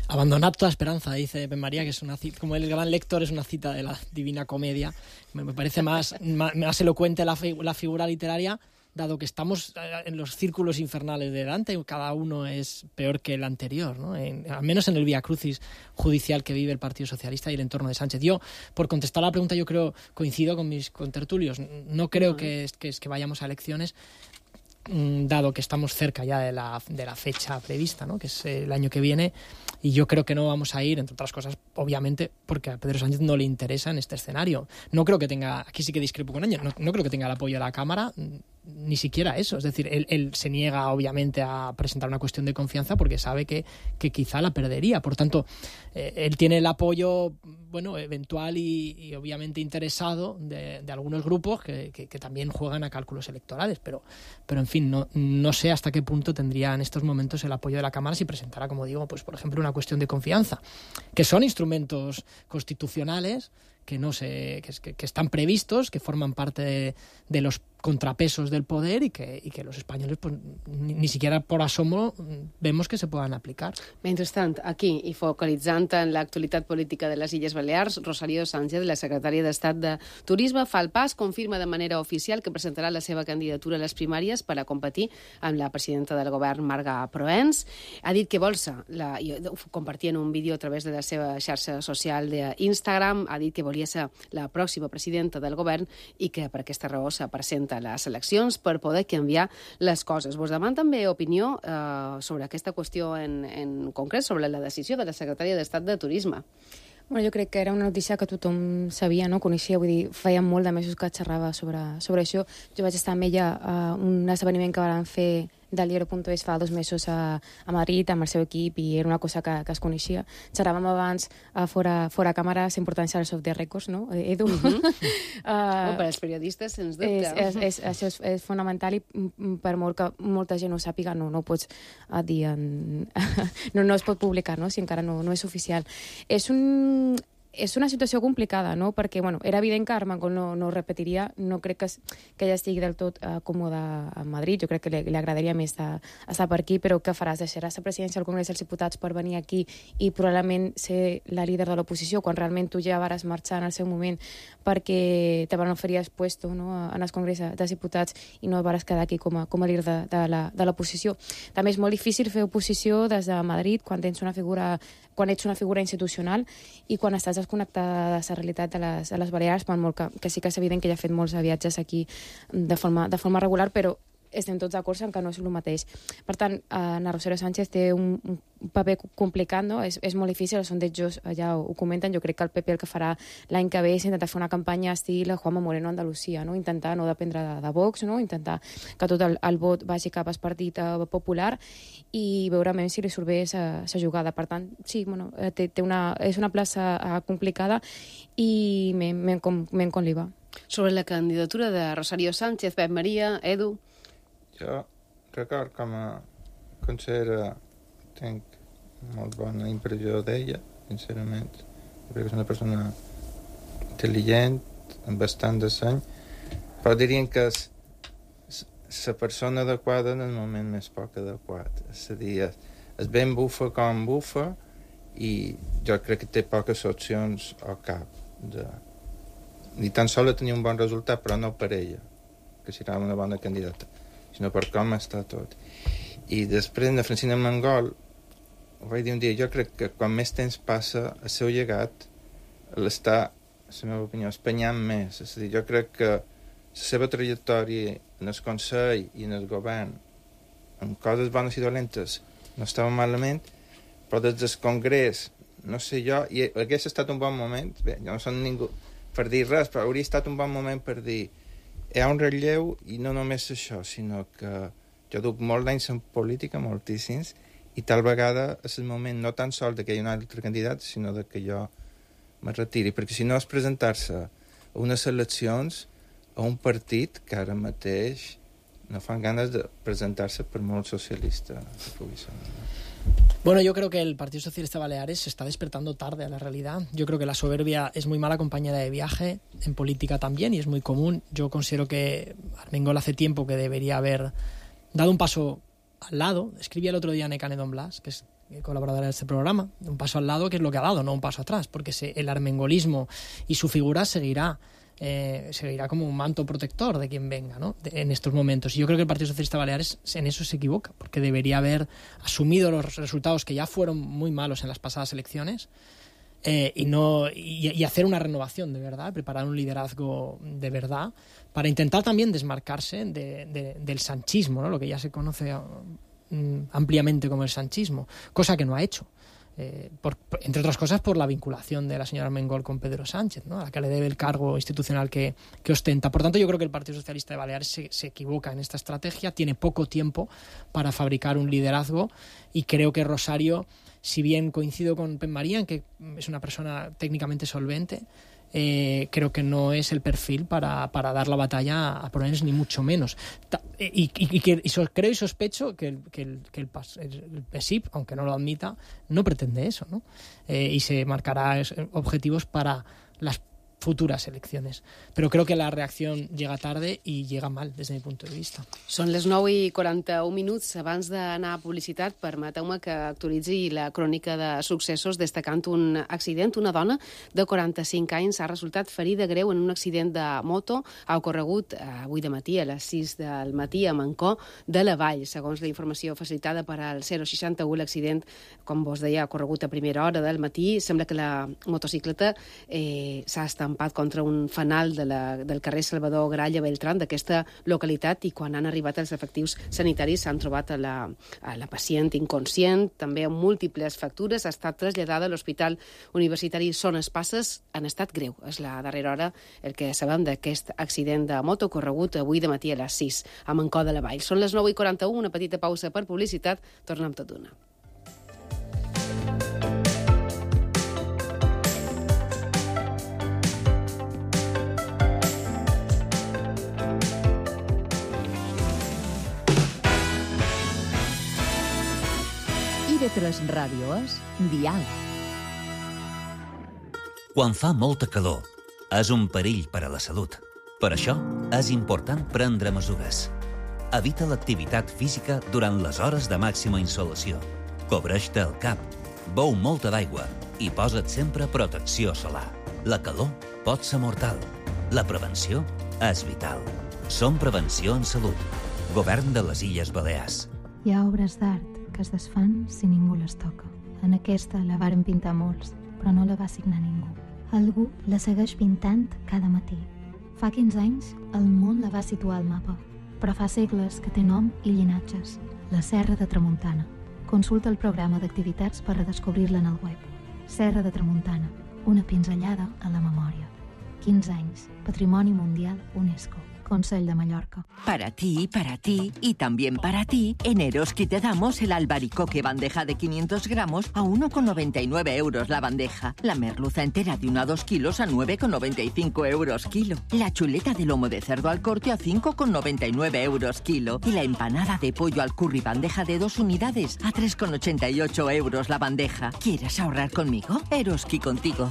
H: Abandonad toda esperanza, dice Ben María, que es una cita, como el gran lector, es una cita de la Divina Comedia. Me, me parece más, más, más elocuente la, fi, la figura literaria, dado que estamos en los círculos infernales de Dante, cada uno es peor que el anterior, ¿no? En, al menos en el vía crucis judicial que vive el Partido Socialista y el entorno de Sánchez. Yo, por contestar a la pregunta, yo creo, coincido con mis contertulios, no creo uh-huh. que, que, que vayamos a elecciones, dado que estamos cerca ya de la, de la fecha prevista, ¿no? Que es el año que viene, y yo creo que no vamos a ir, entre otras cosas, obviamente, porque a Pedro Sánchez no le interesa en este escenario. No creo que tenga, aquí sí que discrepo con ella, no, no creo que tenga el apoyo de la Cámara, ni siquiera eso. Es decir, él, él se niega, obviamente, a presentar una cuestión de confianza porque sabe que, que quizá la perdería. Por tanto, eh, él tiene el apoyo, bueno, eventual y, y obviamente interesado de, de algunos grupos que, que, que también juegan a cálculos electorales, pero, pero en fin, no, no sé hasta qué punto tendría en estos momentos el apoyo de la Cámara si presentara, como digo, pues por ejemplo, una cuestión de confianza, que son instrumentos constitucionales que no se, que, que están previstos, que forman parte de, de los contrapesos del poder y que, y que los españoles pues, ni, ni siquiera por asomo vemos que se puedan aplicar.
A: Mentrestant, aquí, i focalitzant en l'actualitat política de les Illes Balears, Rosario Sánchez, la secretària d'Estat de Turisme, fa el pas, confirma de manera oficial que presentarà la seva candidatura a les primàries per a competir amb la presidenta del govern, Marga Proens. Ha dit que vol ser, la, ho compartia en un vídeo a través de la seva xarxa social d'Instagram, ha dit que volia ser la pròxima presidenta del govern i que per aquesta raó se presenta a les eleccions per poder canviar les coses. Vos deman també opinió eh, sobre aquesta qüestió en, en concret, sobre la decisió de la secretària d'Estat de Turisme.
I: Bueno, jo crec que era una notícia que tothom sabia, no? Coneixia, vull dir, feia molt de mesos que xerrava sobre, sobre això. Jo vaig estar amb ella a un esdeveniment que van fer del diario punto es fa dos mesos a, a Madrid amb el seu equip i era una cosa que, que es coneixia. Xerràvem abans a fora, fora càmera la importància dels off the records, no, Edu? Uh-huh. uh,
A: oh, per als periodistes, sens dubte.
I: És, és, és, això és, és fonamental i per molt que molta gent ho sàpiga, no, no ho pots uh, dir en... no, no es pot publicar, no?, si encara no, no és oficial. És un... És una situació complicada, no? Perquè, bueno, era evident que Armengol no, no repetiria, no crec que, que ella estigui del tot uh, còmoda a Madrid, jo crec que li, li agradaria més de, estar per aquí, però què faràs? Deixaràs la presidència del Congrés dels Diputats per venir aquí i probablement ser la líder de l'oposició, quan realment tu ja vares marxar en el seu moment perquè te van oferir el puesto, no?, en el Congrés dels Diputats i no vares quedar aquí com a, com a líder de, de l'oposició. També és molt difícil fer oposició des de Madrid quan tens una figura, quan ets una figura institucional i quan estàs desconnectada de la realitat de les, de les Balears, per molt que, que sí que és evident que ja ha fet molts viatges aquí de forma, de forma regular, però estem tots d'acord en que no és el mateix. Per tant, Ana Rosario Sánchez té un, un paper complicat, no? És, és molt difícil, els sondejos ja ho, ho comenten. Jo crec que el P P el que farà l'any que ve és intentar fer una campanya estil Juanma Moreno a Andalusia, no? Intentar no dependre de, de Vox, no? Intentar que tot el, el vot vagi cap al Partit uh, Popular i veure si li surt bé la jugada. Per tant, sí, bueno, té, té una, és una plaça uh, complicada i men com, com li va.
A: Sobre la candidatura de Rosario Sánchez, Pep Maria, Edu...
J: Jo record com a consellera tinc molt bona impressió d'ella, sincerament. Jo crec que és una persona intel·ligent, amb bastant de seny, però dirien que és la persona adequada en el moment més poc adequat. És a dir, és ben bufa com bufa i jo crec que té poques opcions al cap. De... Ni tan sols tenir un bon resultat, però no per ella, que serà una bona candidata, sinó per com està tot. I després, de Francina Armengol, ho vaig dir un dia, jo crec que quan més temps passa, el seu llegat l'està, la meva opinió, espanyant més. És a dir, jo crec que la seva trajectòria en el Consell i en el govern, amb coses bones i dolentes, no estava malament, però des del Congrés, no sé jo, i hagués estat un bon moment, bé, jo no som ningú per dir res, però hauria estat un bon moment per dir hi ha un relleu i no només això, sinó que jo duc molt d'anys en política, moltíssims, i tal vegada és el moment no tan sols que hi ha un altre candidat, sinó de que jo me retiri, perquè si no és presentar-se a unes eleccions a un partit que ara mateix no fan ganes de presentar-se per molt socialista que pugui ser.
H: Bueno, yo creo que el Partido Socialista Baleares se está despertando tarde a la realidad. Yo creo que la soberbia es muy mala compañera de viaje, en política también, y es muy común. Yo considero que Armengol hace tiempo que debería haber dado un paso al lado. Escribía el otro día Nekane Don Blas, que es colaboradora de este programa, un paso al lado, que es lo que ha dado, no un paso atrás, porque se, el armengolismo y su figura seguirá eh, seguirá como un manto protector de quien venga, ¿no? de, en estos momentos. Y yo creo que el Partido Socialista Baleares en eso se equivoca, porque debería haber asumido los resultados que ya fueron muy malos en las pasadas elecciones eh, y, no, y, y hacer una renovación de verdad, preparar un liderazgo de verdad para intentar también desmarcarse de, de, del sanchismo, ¿no? Lo que ya se conoce um, ampliamente como el sanchismo, cosa que no ha hecho. Eh, por, entre otras cosas por la vinculación de la señora Armengol con Pedro Sánchez, ¿no? A la que le debe el cargo institucional que, que ostenta. Por tanto, yo creo que el Partido Socialista de Baleares se, se equivoca en esta estrategia, tiene poco tiempo para fabricar un liderazgo y creo que Rosario, si bien coincido con Pep María en que es una persona técnicamente solvente, Eh, creo que no es el perfil para, para dar la batalla a Polones, ni mucho menos. Ta, y, y, y, que, y so, creo y sospecho que el, que el, que el, el P S I P, aunque no lo admita, no pretende eso, ¿no? Eh, y se marcará objetivos para las futuras elecciones. Però creo que la reacció llega tarde i llega mal, des del mi punt de vista.
A: Són les nou i quaranta-un minuts. Abans d'anar a publicitat, permeteu-me que actualitzi la crònica de successos destacant un accident. Una dona de quaranta-cinc anys ha resultat ferida greu en un accident de moto. Ha ocorregut avui de matí, a les sis del matí, a Mancor de la Vall. Segons la informació facilitada per al zero seixanta-u, l'accident, com vos deia, ha ocorregut a primera hora del matí. Sembla que la motocicleta eh, s'ha estampat contra un fanal de la, del carrer Salvador Gralla Beltrán d'aquesta localitat, i quan han arribat els efectius sanitaris s'han trobat a la, a la pacient inconscient, també amb múltiples fractures. Ha estat traslladada a l'Hospital Universitari Son Espasses en estat greu. És la darrera hora el que sabem d'aquest accident de moto ocorregut avui de matí a les sis a Mancor de la Vall. Són les nou i quaranta-un, una petita pausa per publicitat. Tornem tot d'una.
M: I V tres Ràdio és Dial.
N: Quan fa molta calor, és un perill per a la salut. Per això, és important prendre mesures. Evita l'activitat física durant les hores de màxima insolació. Cobreix-te el cap, beu molta d'aigua i posa't sempre protecció solar. La calor pot ser mortal. La prevenció és vital. Som Prevenció en Salut. Govern de les Illes Balears.
O: Hi ha obres d'art que es desfan si ningú les toca. En aquesta la varen pintar molts, però no la va signar ningú. Algú la segueix pintant cada matí. Fa quinze anys, el món la va situar al mapa, però fa segles que té nom i llinatges. La Serra de Tramuntana. Consulta el programa d'activitats per redescobrir-la en el web. Serra de Tramuntana, una pinzellada a la memòria. quinze anys, Patrimoni Mundial UNESCO. Consell de Mallorca.
P: Para ti, para ti y también para ti, en Eroski te damos el albaricoque bandeja de quinientos gramos a uno con noventa y nueve euros la bandeja. La merluza entera de uno a dos kilos a nueve con noventa y cinco euros kilo. La chuleta de lomo de cerdo al corte a cinco con noventa y nueve euros kilo. Y la empanada de pollo al curry bandeja de dos unidades a tres con ochenta y ocho euros la bandeja. ¿Quieres ahorrar conmigo? Eroski contigo.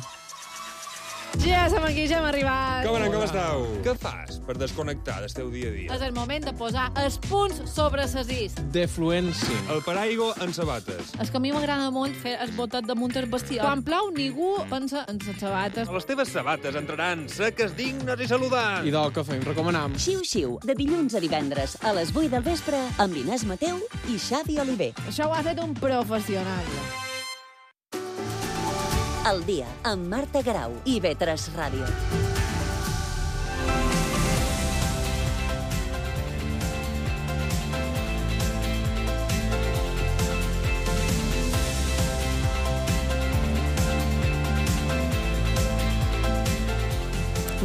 Q: Ja som aquí, ja hem arribat.
R: Com anem, com esteu? Què fas per desconnectar del teu dia a dia?
Q: És el moment de posar els punts sobre les is.
R: Defluència. El paraigua en sabates.
Q: És que a mi m'agrada molt fer el botet damunt el bestiar. Quan plou, ningú pensa en les sabates.
R: Les teves sabates entraran seques, dignes i saludants.
S: I del que fem, recomanam.
T: Xiu-xiu, de dilluns a divendres, a les vuit del vespre, amb l'Inés Mateu i Xavi Oliver.
Q: Això ho ha fet un professional.
T: Al dia, amb Marta Grau i I V tres Ràdio.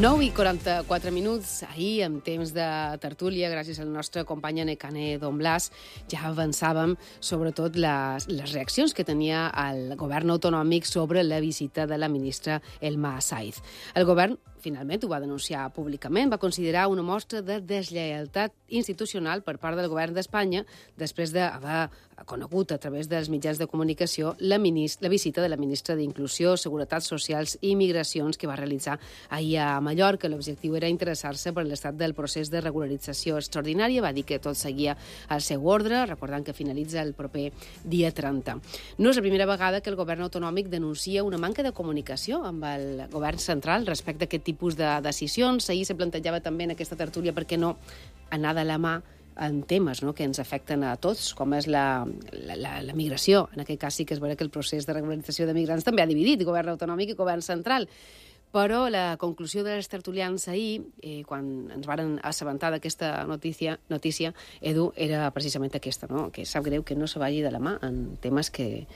A: nou i quaranta-quatre minuts. Ahir, en temps de tertúlia, gràcies al nostre company Nekane Don Blas, ja avançàvem sobretot les, les reaccions que tenia el govern autonòmic sobre la visita de la ministra Elma Saiz. El govern finalment ho va denunciar públicament, va considerar una mostra de deslleialtat institucional per part del govern d'Espanya després d'haver conegut a través dels mitjans de comunicació la, minist- la visita de la ministra d'Inclusió, Seguretat Socials i Migracions que va realitzar ahir a Mallorca. L'objectiu era interessar-se per l'estat del procés de regularització extraordinària. Va dir que tot seguia al seu ordre, recordant que finalitza el proper dia trenta. No és la primera vegada que el govern autonòmic denuncia una manca de comunicació amb el govern central respecte a aquest tipus de decisions. Ahir se plantejava també en aquesta tertúlia per què no anar de la mà en temes, no?, que ens afecten a tots, com és la, la, la, la migració. En aquest cas sí que és vera que el procés de regularització de migrants també ha dividit govern autonòmic i govern central. Però la conclusió dels tertulians ahir, eh, quan ens varen assabentar d'aquesta notícia, notícia, Edu, era precisament aquesta, no?, que sap greu que no se vagi de la mà en temes que...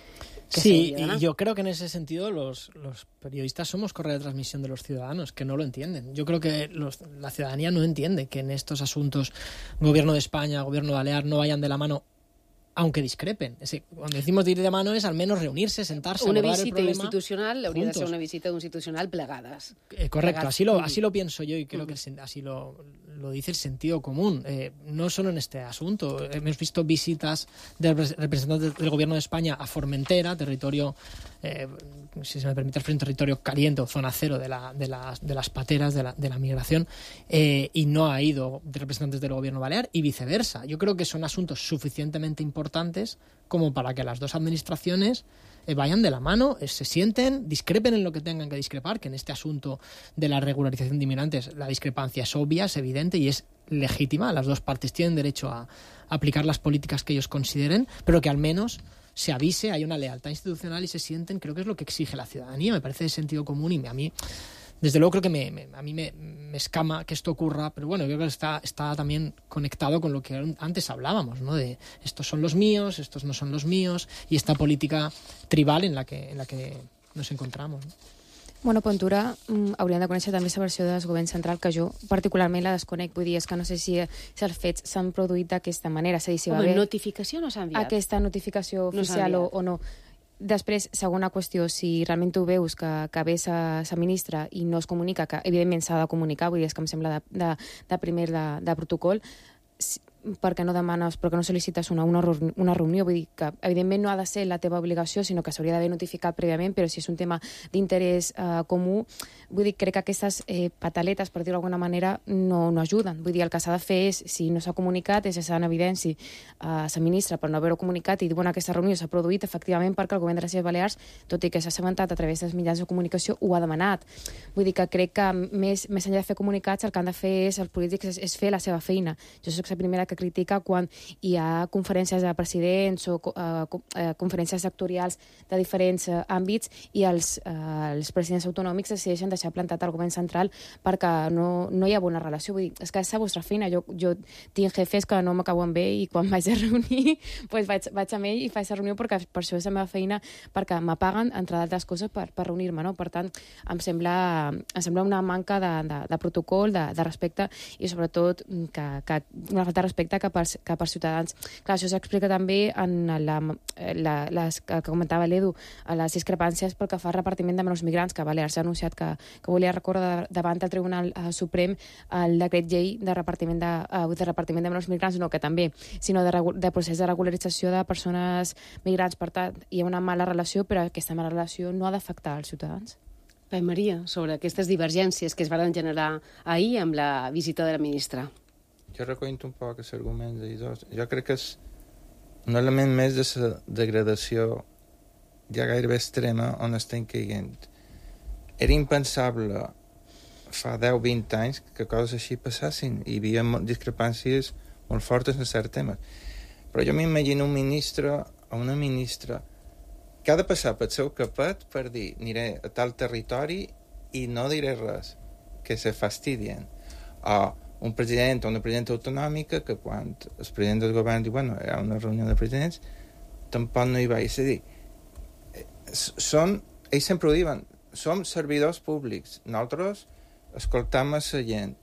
A: que
H: sí, y yo creo que en ese sentido los, los periodistas somos correa de transmisión de los ciudadanos, que no lo entienden. Yo creo que los, la ciudadanía no entiende que en estos asuntos gobierno de España, gobierno balear no vayan de la mano, aunque discrepen. Es decir, cuando decimos de ir de mano es al menos reunirse, sentarse,
A: una
H: abordar el
A: visita
H: problema
A: institucional hauria
H: juntos.
A: de ser una visita institucional plegades.
H: Eh, correcto,
A: Plegats.
H: así lo, así lo pienso yo y creo
A: Mm.
H: que el sen- así lo, lo dice el sentido común. Eh, no solo en este asunto. Hemos visto visitas de repre- representantes del gobierno de España a Formentera, territorio, eh, si se me permite, un territorio caliente o zona cero de, la, de, las, de las pateras de la, de la migración, eh, y no ha ido de representantes del gobierno balear y viceversa. Yo creo que son asuntos suficientemente importantes como para que las dos administraciones eh, vayan de la mano, eh, se sienten, discrepen en lo que tengan que discrepar, que en este asunto de la regularización de inmigrantes la discrepancia es obvia, es evidente y es legítima. Las dos partes tienen derecho a, a aplicar las políticas que ellos consideren, pero que al menos se avise, hay una lealtad institucional y se sienten, creo que es lo que exige la ciudadanía, me parece de sentido común y me, a mí... Desde luego creo que me, me, a mí me, me escama que esto ocurra, pero bueno, yo creo que está, está también conectado con lo que antes hablábamos, ¿no? De estos son los míos, estos no son los míos, y esta política tribal en la que, en la que nos encontramos, ¿no?
I: Bueno, Pontura, mm, hauríem de conèixer també la versió del govern central, que jo particularment la desconec. Vull dir, és que no sé si, si els fets s'han produït d'aquesta manera. És a dir, si va
A: Home,
I: haver
A: notificació no s'ha enviat.
I: aquesta notificació
A: No s'ha
I: oficial o,
A: enviat.
I: o no. Després, segona qüestió, si realment tu veus que, que ve sa, sa ministra i no es comunica, que evidentment s'ha de comunicar, vull dir, és que em sembla de, de, de primer de, de protocol, si, per què no demanes, per què no sol·licites una, una, reuni- una reunió? Vull dir que, evidentment, no ha de ser la teva obligació, sinó que s'hauria d'haver notificat prèviament, però si és un tema d'interès eh, comú, vull dir, crec que aquestes eh, pataletes, per dir-ho d'alguna manera, no, no ajuden. Vull dir, el que s'ha de fer és, si no s'ha comunicat, és deixar en evidència a la ministra per no haver-ho comunicat i dir, bueno, aquesta reunió s'ha produït efectivament perquè el govern de les Illes Balears, tot i que s'ha assabentat a través dels mitjans de comunicació, ho ha demanat. Vull dir que crec que més, més enllà de fer comunicats, el que han de fer és, els polítics, és, és fer la seva feina. Jo soc la primera que critica quan hi ha conferències de presidents o uh, uh, conferències sectorials de diferents uh, àmbits i els, uh, els presidents autonòmics decideixen deixar plantat el govern central perquè no, no hi ha bona relació. Vull dir, és que és la vostra feina. Jo, jo tinc jefes que no m'acaben bé i quan vaig a reunir pues vaig, vaig amb ell i faig la reunió perquè per això és la meva feina, perquè m'apaguen, entre d'altres coses, per, per reunir-me, no? Per tant, em sembla, em sembla una manca de, de, de protocol, de, de respecte i sobretot que, que una falta de respecte cap als, cap als ciutadans. Clar, això s'explica també en la, la, les que comentava l'Edu, a les discrepàncies pel que fa al repartiment de menors migrants, que Balears ha anunciat que, que volia recórrer davant el Tribunal eh, Suprem el decret llei de repartiment de, eh, de repartiment de menors migrants, no, que també, sinó de, de procés de regularització de persones migrants. Per tant, hi ha una mala relació, però aquesta mala relació no ha d'afectar els ciutadans.
A: Bé, Maria, sobre aquestes divergències que es van generar ahir amb la visita de la ministra.
J: Jo recollo un poc els arguments de dos. Jo crec que és un element més de la degradació ja gairebé extrema on estem caient. Era impensable fa deu o vint anys que coses així passassin. Hi havia discrepàncies molt fortes en certs temes. Però jo m'imagino un ministre o una ministra que ha de passar pel seu capet per dir aniré a tal territori i no diré res, que se fastidien. O un president o una presidenta autonòmica que quan el president del govern diu, bueno, hi ha una reunió de presidents, tampoc no hi va. És a dir, són, ells sempre ho diuen, som servidors públics, nosaltres escoltam a la gent.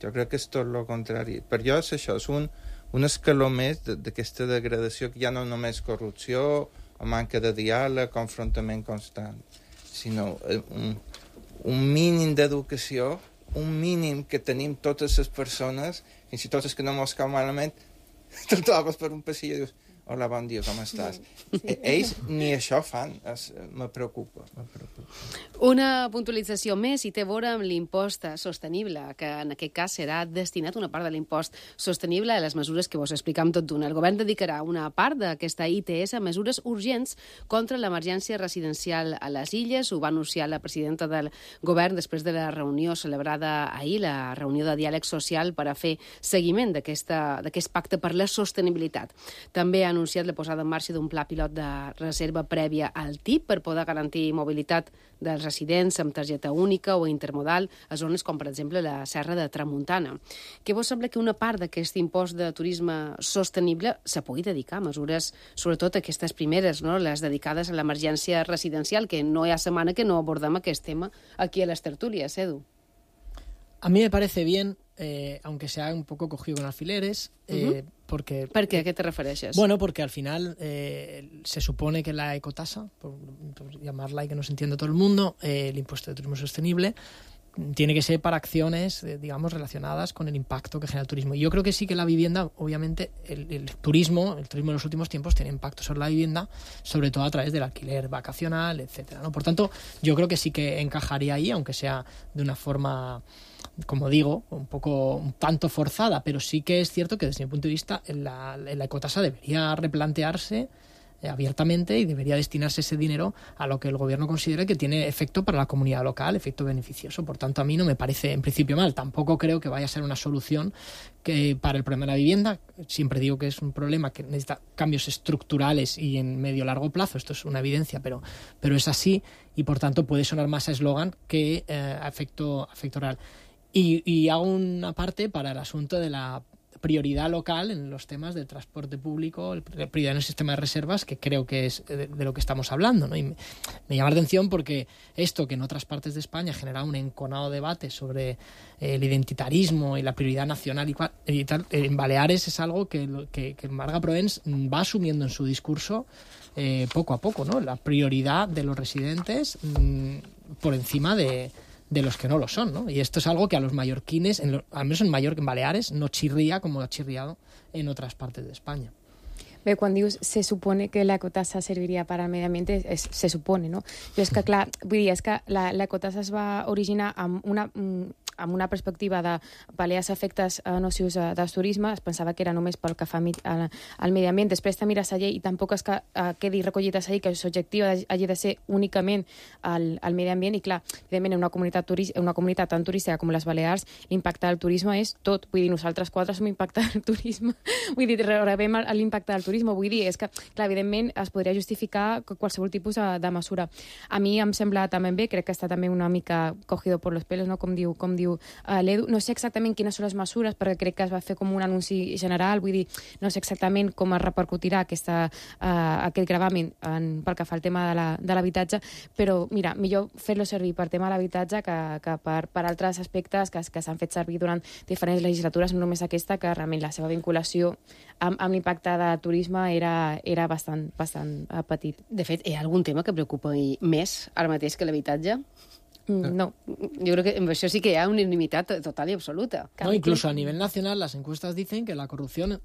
J: Jo crec que és tot el contrari. Per jo és això, és un, un escaló més d'aquesta degradació que ja no només corrupció o manca de diàleg, confrontament constant, sinó un, un mínim d'educació, un mínim que tenim totes les persones, fins i tot els que no mos cau malament, te'l trobes per un passillo i dius, hola, bon dia, com estàs? Sí. Ells ni això fan, es, me preocupa, me preocupa.
A: Una puntualització més i té a veure amb l'impost sostenible, que en aquest cas serà destinat una part de l'impost sostenible a les mesures que vos explicam tot d'una. El govern dedicarà una part d'aquesta I T S a mesures urgents contra l'emergència residencial a les Illes. Ho va anunciar la presidenta del govern després de la reunió celebrada ahir, la reunió de diàleg social per a fer seguiment d'aquest pacte per la sostenibilitat. També ha anunciat la posada en marxa d'un pla pilot de reserva prèvia al T I P per poder garantir mobilitat dels residents amb targeta única o intermodal a zones com, per exemple, la Serra de Tramuntana. Què vos sembla que una part d'aquest impost de turisme sostenible se pugui dedicar a mesures, sobretot aquestes primeres, no? Les dedicades a l'emergència residencial, que no hi ha setmana que no abordem aquest tema aquí a les tertúlies, Edu?
H: A mí me parece bien, eh, aunque sea un poco cogido con alfileres, eh, uh-huh. porque...
A: ¿Por qué? ¿A qué te refieres?
H: Bueno, porque al final eh, se supone que la ecotasa, por, por llamarla y que no se entienda todo el mundo, eh, el impuesto de turismo sostenible, tiene que ser para acciones, eh, digamos, relacionadas con el impacto que genera el turismo. Y yo creo que sí que la vivienda, obviamente, el, el turismo, el turismo en los últimos tiempos tiene impacto sobre la vivienda, sobre todo a través del alquiler vacacional, etcétera, ¿no? Por tanto, yo creo que sí que encajaría ahí, aunque sea de una forma, como digo, un poco un tanto forzada, pero sí que es cierto que desde mi punto de vista la, la ecotasa debería replantearse eh, abiertamente y debería destinarse ese dinero a lo que el gobierno considere que tiene efecto para la comunidad local, efecto beneficioso. Por tanto, a mí no me parece en principio mal. Tampoco creo que vaya a ser una solución que para el problema de la vivienda. Siempre digo que es un problema que necesita cambios estructurales y en medio largo plazo. Esto es una evidencia, pero, pero es así y por tanto puede sonar más a eslogan que eh, a efecto, a efecto real. Y, y hago una parte para el asunto de la prioridad local en los temas de transporte público, la prioridad en el sistema de reservas, que creo que es de, de lo que estamos hablando, ¿no? Y me, me llama la atención porque esto que en otras partes de España genera un enconado debate sobre eh, el identitarismo y la prioridad nacional y, cual, y tal, en Baleares es algo que, que, que Marga Proens va asumiendo en su discurso eh, poco a poco, ¿no? La prioridad de los residentes mmm, por encima de de los que no lo son, ¿no? Y esto es algo que a los mallorquines, en lo, al menos en Mallorca, en Baleares, no chirría como ha chirriado en otras partes de España.
I: Bé, quan dius se supone que l'ecotassa serviria per al medi ambient, és, se supone, no? Jo és que, clar, vull dir, és que l'ecotassa es va originar amb una, amb una perspectiva de pal·liar els efectes nocius del turisme. Es pensava que era només pel que fa al, al medi ambient. Després te mires la llei i tampoc és que uh, quedi recollit a la llei que l'objectiu hagi de ser únicament al, al medi ambient. I, clar, evidentment, en una comunitat, turis, una comunitat tan turística com les Balears, l'impacte del turisme és tot. Vull dir, nosaltres quatre som impacte del turisme. Vull dir, rebem l'impacte del turisme. Vull dir, és que, clar, evidentment es podria justificar qualsevol tipus de, de mesura. A mi em sembla també bé, crec que està també una mica cogido por los pelos, no? Com diu, com diu uh, l'Edu. No sé exactament quines són les mesures, perquè crec que es va fer com un anunci general, vull dir, no sé exactament com es repercutirà aquesta, uh, aquest gravamen en, pel que fa al tema de l'habitatge, però, mira, millor fer-lo servir per tema de l'habitatge que, que per, per altres aspectes que, que s'han fet servir durant diferents legislatures, no només aquesta, que realment la seva vinculació amb, amb l'impacte de turisme era, era bastant, bastant uh, petit.
A: De fet, hi ha algun tema que preocupa més ara mateix que l'habitatge?
I: Mm, no.
A: Yo creo que en això sí que hi ha unanimidad total y absoluta.
H: No, incluso a nivel nacional las encuestas dicen que la corrupción,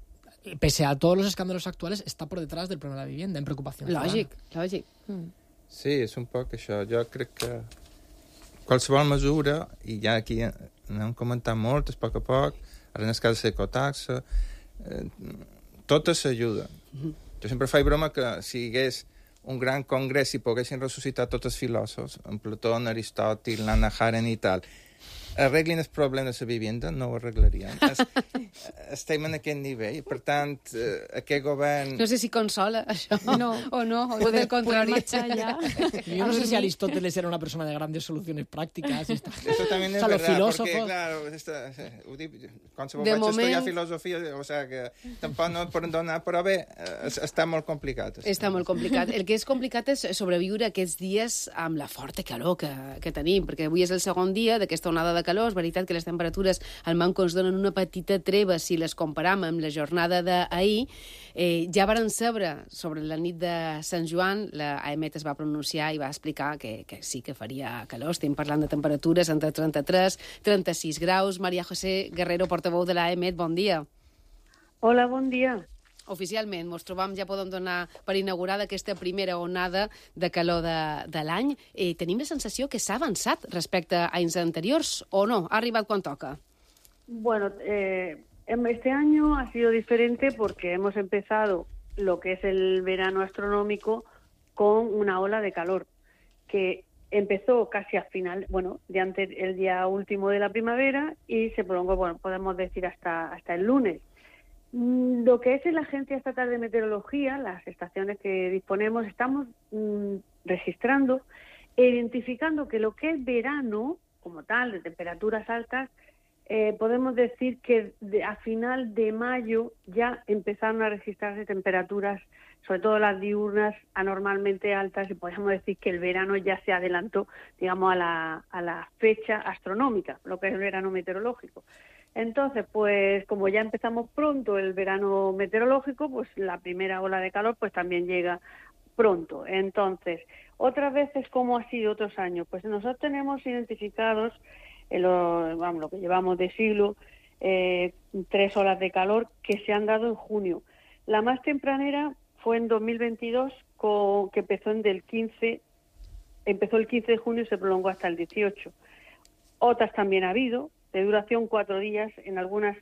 H: pese a todos los escándalos actuales, está por detrás del problema de la vivienda, en preocupación.
A: Lògic, lògic.
I: Mm.
J: Sí, és un poc això. Jo crec que qualsevol mesura, i ja aquí n'hem comentat moltes, a poc a poc, ara en el cas de l'ecotaxa, eh, totes s'ajuden. Mm-hmm. Jo sempre faig broma que si hi hagués un gran congrés i poguessin ressuscitar tots els filòsofs, en Plató, en Aristòtil, l'Anna Haren i tal, arreglin els problemes de la vivenda, no ho arreglarien. Es, estem en aquest nivell. Per tant, eh, aquest govern...
A: No sé si consola això no. o no, o del contrari.
H: Yo no sé si Aristóteles era una persona de grandes soluciones prácticas. Y está...
J: Eso también es
H: o sea,
J: verdad,
H: filósofos...
J: porque, claro, esta, quan se vaig moment... estudiar filosofia, o sea, que tampoc no et poden donar, però bé, està molt complicat.
A: Està molt complicat. El que és complicat és sobreviure aquests dies amb la forta calor que, que tenim, perquè avui és el segon dia d'aquesta onada de de calor. És veritat que les temperatures al Manco ens donen una petita treva si les comparam amb la jornada d'ahir. Eh, ja varen saber, sobre la nit de Sant Joan, la A E M E T es va pronunciar i va explicar que, que sí que faria calor. Estem parlant de temperatures entre trenta-tres i trenta-sis graus. María José Guerrero, portaveu de l'A E M E T, bon dia.
S: Hola, bon dia.
A: Oficialment, ens trobam, ja podem donar per inaugurada aquesta primera onada de calor de, de l'any. Eh, tenim la sensació que s'ha avançat respecte a anys anteriors, o no? Ha arribat quan toca?
S: Bueno, eh, este año ha sido diferente porque hemos empezado lo que es el verano astronómico con una ola de calor que empezó casi al final, bueno, de antes, el día último de la primavera y se prolongó, bueno, podemos decir hasta, hasta el lunes. Lo que es en la Agencia Estatal de Meteorología, las estaciones que disponemos, estamos mmm, registrando e identificando que lo que es verano, como tal, de temperaturas altas, eh, podemos decir que de, a final de mayo ya empezaron a registrarse temperaturas, sobre todo las diurnas, anormalmente altas, y podemos decir que el verano ya se adelantó, digamos, a la, a la fecha astronómica, lo que es el verano meteorológico. Entonces, pues como ya empezamos pronto el verano meteorológico, pues la primera ola de calor pues también llega pronto. Entonces, otras veces, ¿cómo ha sido otros años? Pues nosotros tenemos identificados, en lo, vamos, lo que llevamos de siglo, eh, tres olas de calor que se han dado en junio. La más tempranera fue en dos mil veintidós, con, que empezó en del quince, empezó el quince de junio y se prolongó hasta el dieciocho. Otras también ha habido, de duración cuatro días, en algunas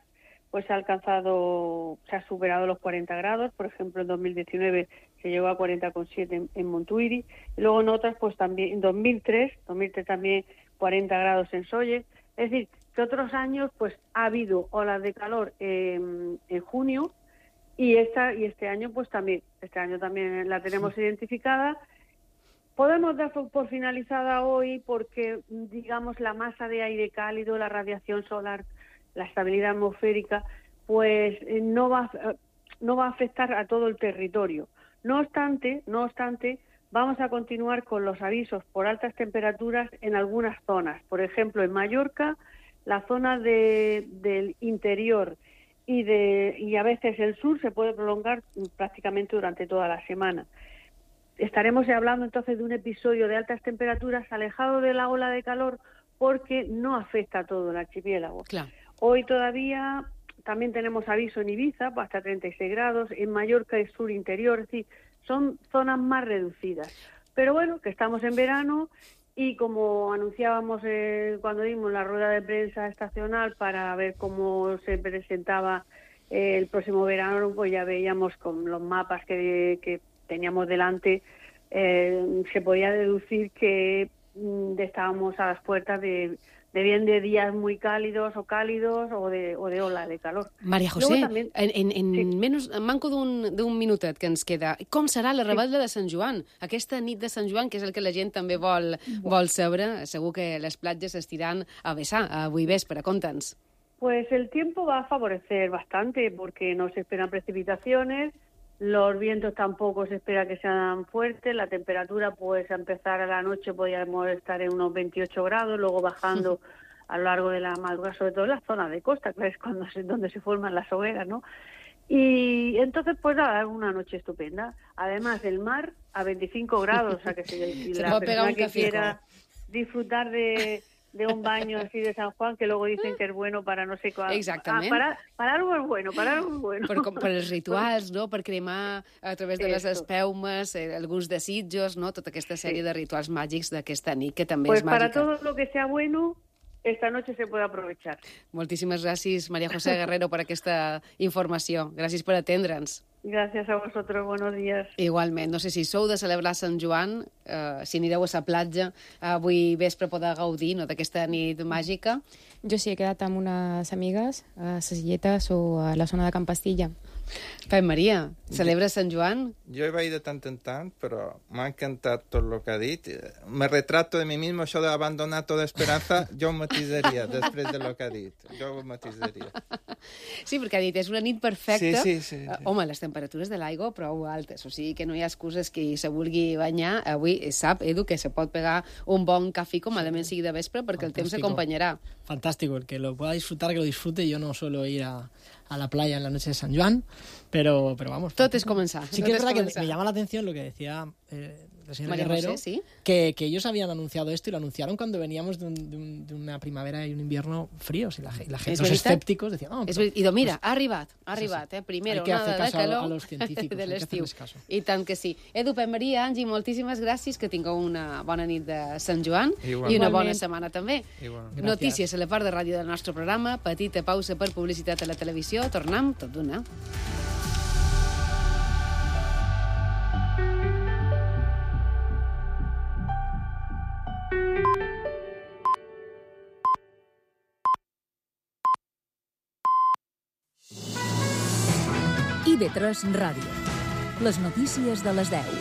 S: pues se ha alcanzado, se ha superado los cuarenta grados, por ejemplo en dos mil diecinueve se llegó a cuarenta coma siete en, en Montuïri, y luego en otras pues también, en dos mil tres, dos mil tres también cuarenta grados en Sóller. Es decir, que otros años pues ha habido olas de calor eh, en junio, y esta y este año pues también, este año también la tenemos sí. identificada. Podemos dar por finalizada hoy porque, digamos, la masa de aire cálido, la radiación solar, la estabilidad atmosférica, pues no va, no va a afectar a todo el territorio. No obstante, no obstante, vamos a continuar con los avisos por altas temperaturas en algunas zonas. Por ejemplo, en Mallorca, la zona de, del interior y, de, y a veces el sur se puede prolongar prácticamente durante toda la semana. Estaremos hablando entonces de un episodio de altas temperaturas alejado de la ola de calor porque no afecta a todo el archipiélago.
A: Claro.
S: Hoy todavía también tenemos aviso en Ibiza hasta treinta y seis grados, en Mallorca y sur interior, es decir, son zonas más reducidas. Pero bueno, que estamos en verano y como anunciábamos eh, cuando dimos la rueda de prensa estacional para ver cómo se presentaba eh, el próximo verano, pues ya veíamos con los mapas que, que teníamos delante, eh, se podía deducir que mm, estábamos a las puertas de, de bien de días muy cálidos o cálidos o de, o de ola de calor.
A: María José,
S: también,
A: en, en, en
S: sí.
A: menys, en manco d'un minutet que ens queda, com serà la rebel·la de Sant Joan? Aquesta nit de Sant Joan, que és el que la gent també vol, vol saber, segur que les platges s'estiran a vessar avui vespre, conta'ns.
S: Pues el tiempo va a favorecer bastante porque no se esperan precipitaciones. Los vientos tampoco se espera que sean fuertes, la temperatura pues a empezar a la noche podríamos estar en unos veintiocho grados, luego bajando a lo largo de la madrugada, sobre todo en la zona de costa, que es cuando se, donde se forman las hogueras, ¿no? Y entonces pues nada, una noche estupenda. Además el mar a veinticinco grados, o sea que si, si
A: se
S: la
A: un
S: persona que
A: café,
S: quiera disfrutar de... de un baño así de San Juan, que luego dicen que es bueno para no sé cuál.
A: Exactament.
S: Ah, para, para algo es bueno, para algo es bueno.
A: Per, com, per els rituals, no? Per cremar a través de les
S: Eso.
A: espeumes, eh, alguns desitjos, no? Tota aquesta sèrie sí. de rituals màgics d'aquesta nit, que també
S: pues
A: és màgica.
S: Para todo lo que sea bueno, esta noche se puede aprovechar.
A: Moltíssimes gràcies, María José Guerrero, per aquesta informació. Gràcies per atendre'ns.
S: Gracias a vosotros, buenos días.
A: Igualment. No sé si sou de celebrar Sant Joan, eh, si anireu a la platja, avui vespre poder gaudir no, d'aquesta nit màgica.
I: Jo sí he quedat amb unes amigues a les Illetes o a la zona de Can Pastilla.
A: Pep Maria, celebra Sant Joan?
J: Jo hi vaig de tant en tant, però m'ha encantat tot el que ha dit. Me retrato de mi mismo, això d'abandonar tota esperança, jo ho matisaria després de lo que ha dit. Jo ho matisaria.
A: Sí, perquè ha dit, és una nit perfecta.
J: Sí, sí, sí, sí.
A: Home, les temperatures de l'aigua prou altes, o sigui que no hi ha excuses que se vulgui banyar. Avui sap, Edu, que se pot pegar un bon cafè com a element sigui de vespre perquè el temps s'acompanyarà.
H: Fantástico, el que lo pueda disfrutar, que lo disfrute. Yo no suelo ir a, a la playa en la noche de San Juan, pero, pero vamos.
A: Tot és començar.
H: Sí que es verdad que me, me llama la atención lo que decía eh, el señor
A: María
H: Guerrero,
A: José, ¿sí?
H: que, que ellos habían anunciado esto y lo anunciaron cuando veníamos de, un, de, un, de una primavera y un invierno fríos y la, la gente, los escépticos decían, no,
A: però, I doncs mira, ha arribat, ha arribat, eh? Primera onada de calor
H: a los científicos,
A: de l'estiu. I tant que sí. Edu, Pep Maria, Angi, moltíssimes gràcies, que tingueu una bona nit de Sant Joan
J: Igualment.
A: i una bona setmana també.
J: Igualment.
A: Notícies a la part de ràdio del nostre programa, petita pausa per publicitat a la televisió, tornem tot d'una.
M: I ve tres Ràdio. Les notícies de les deu.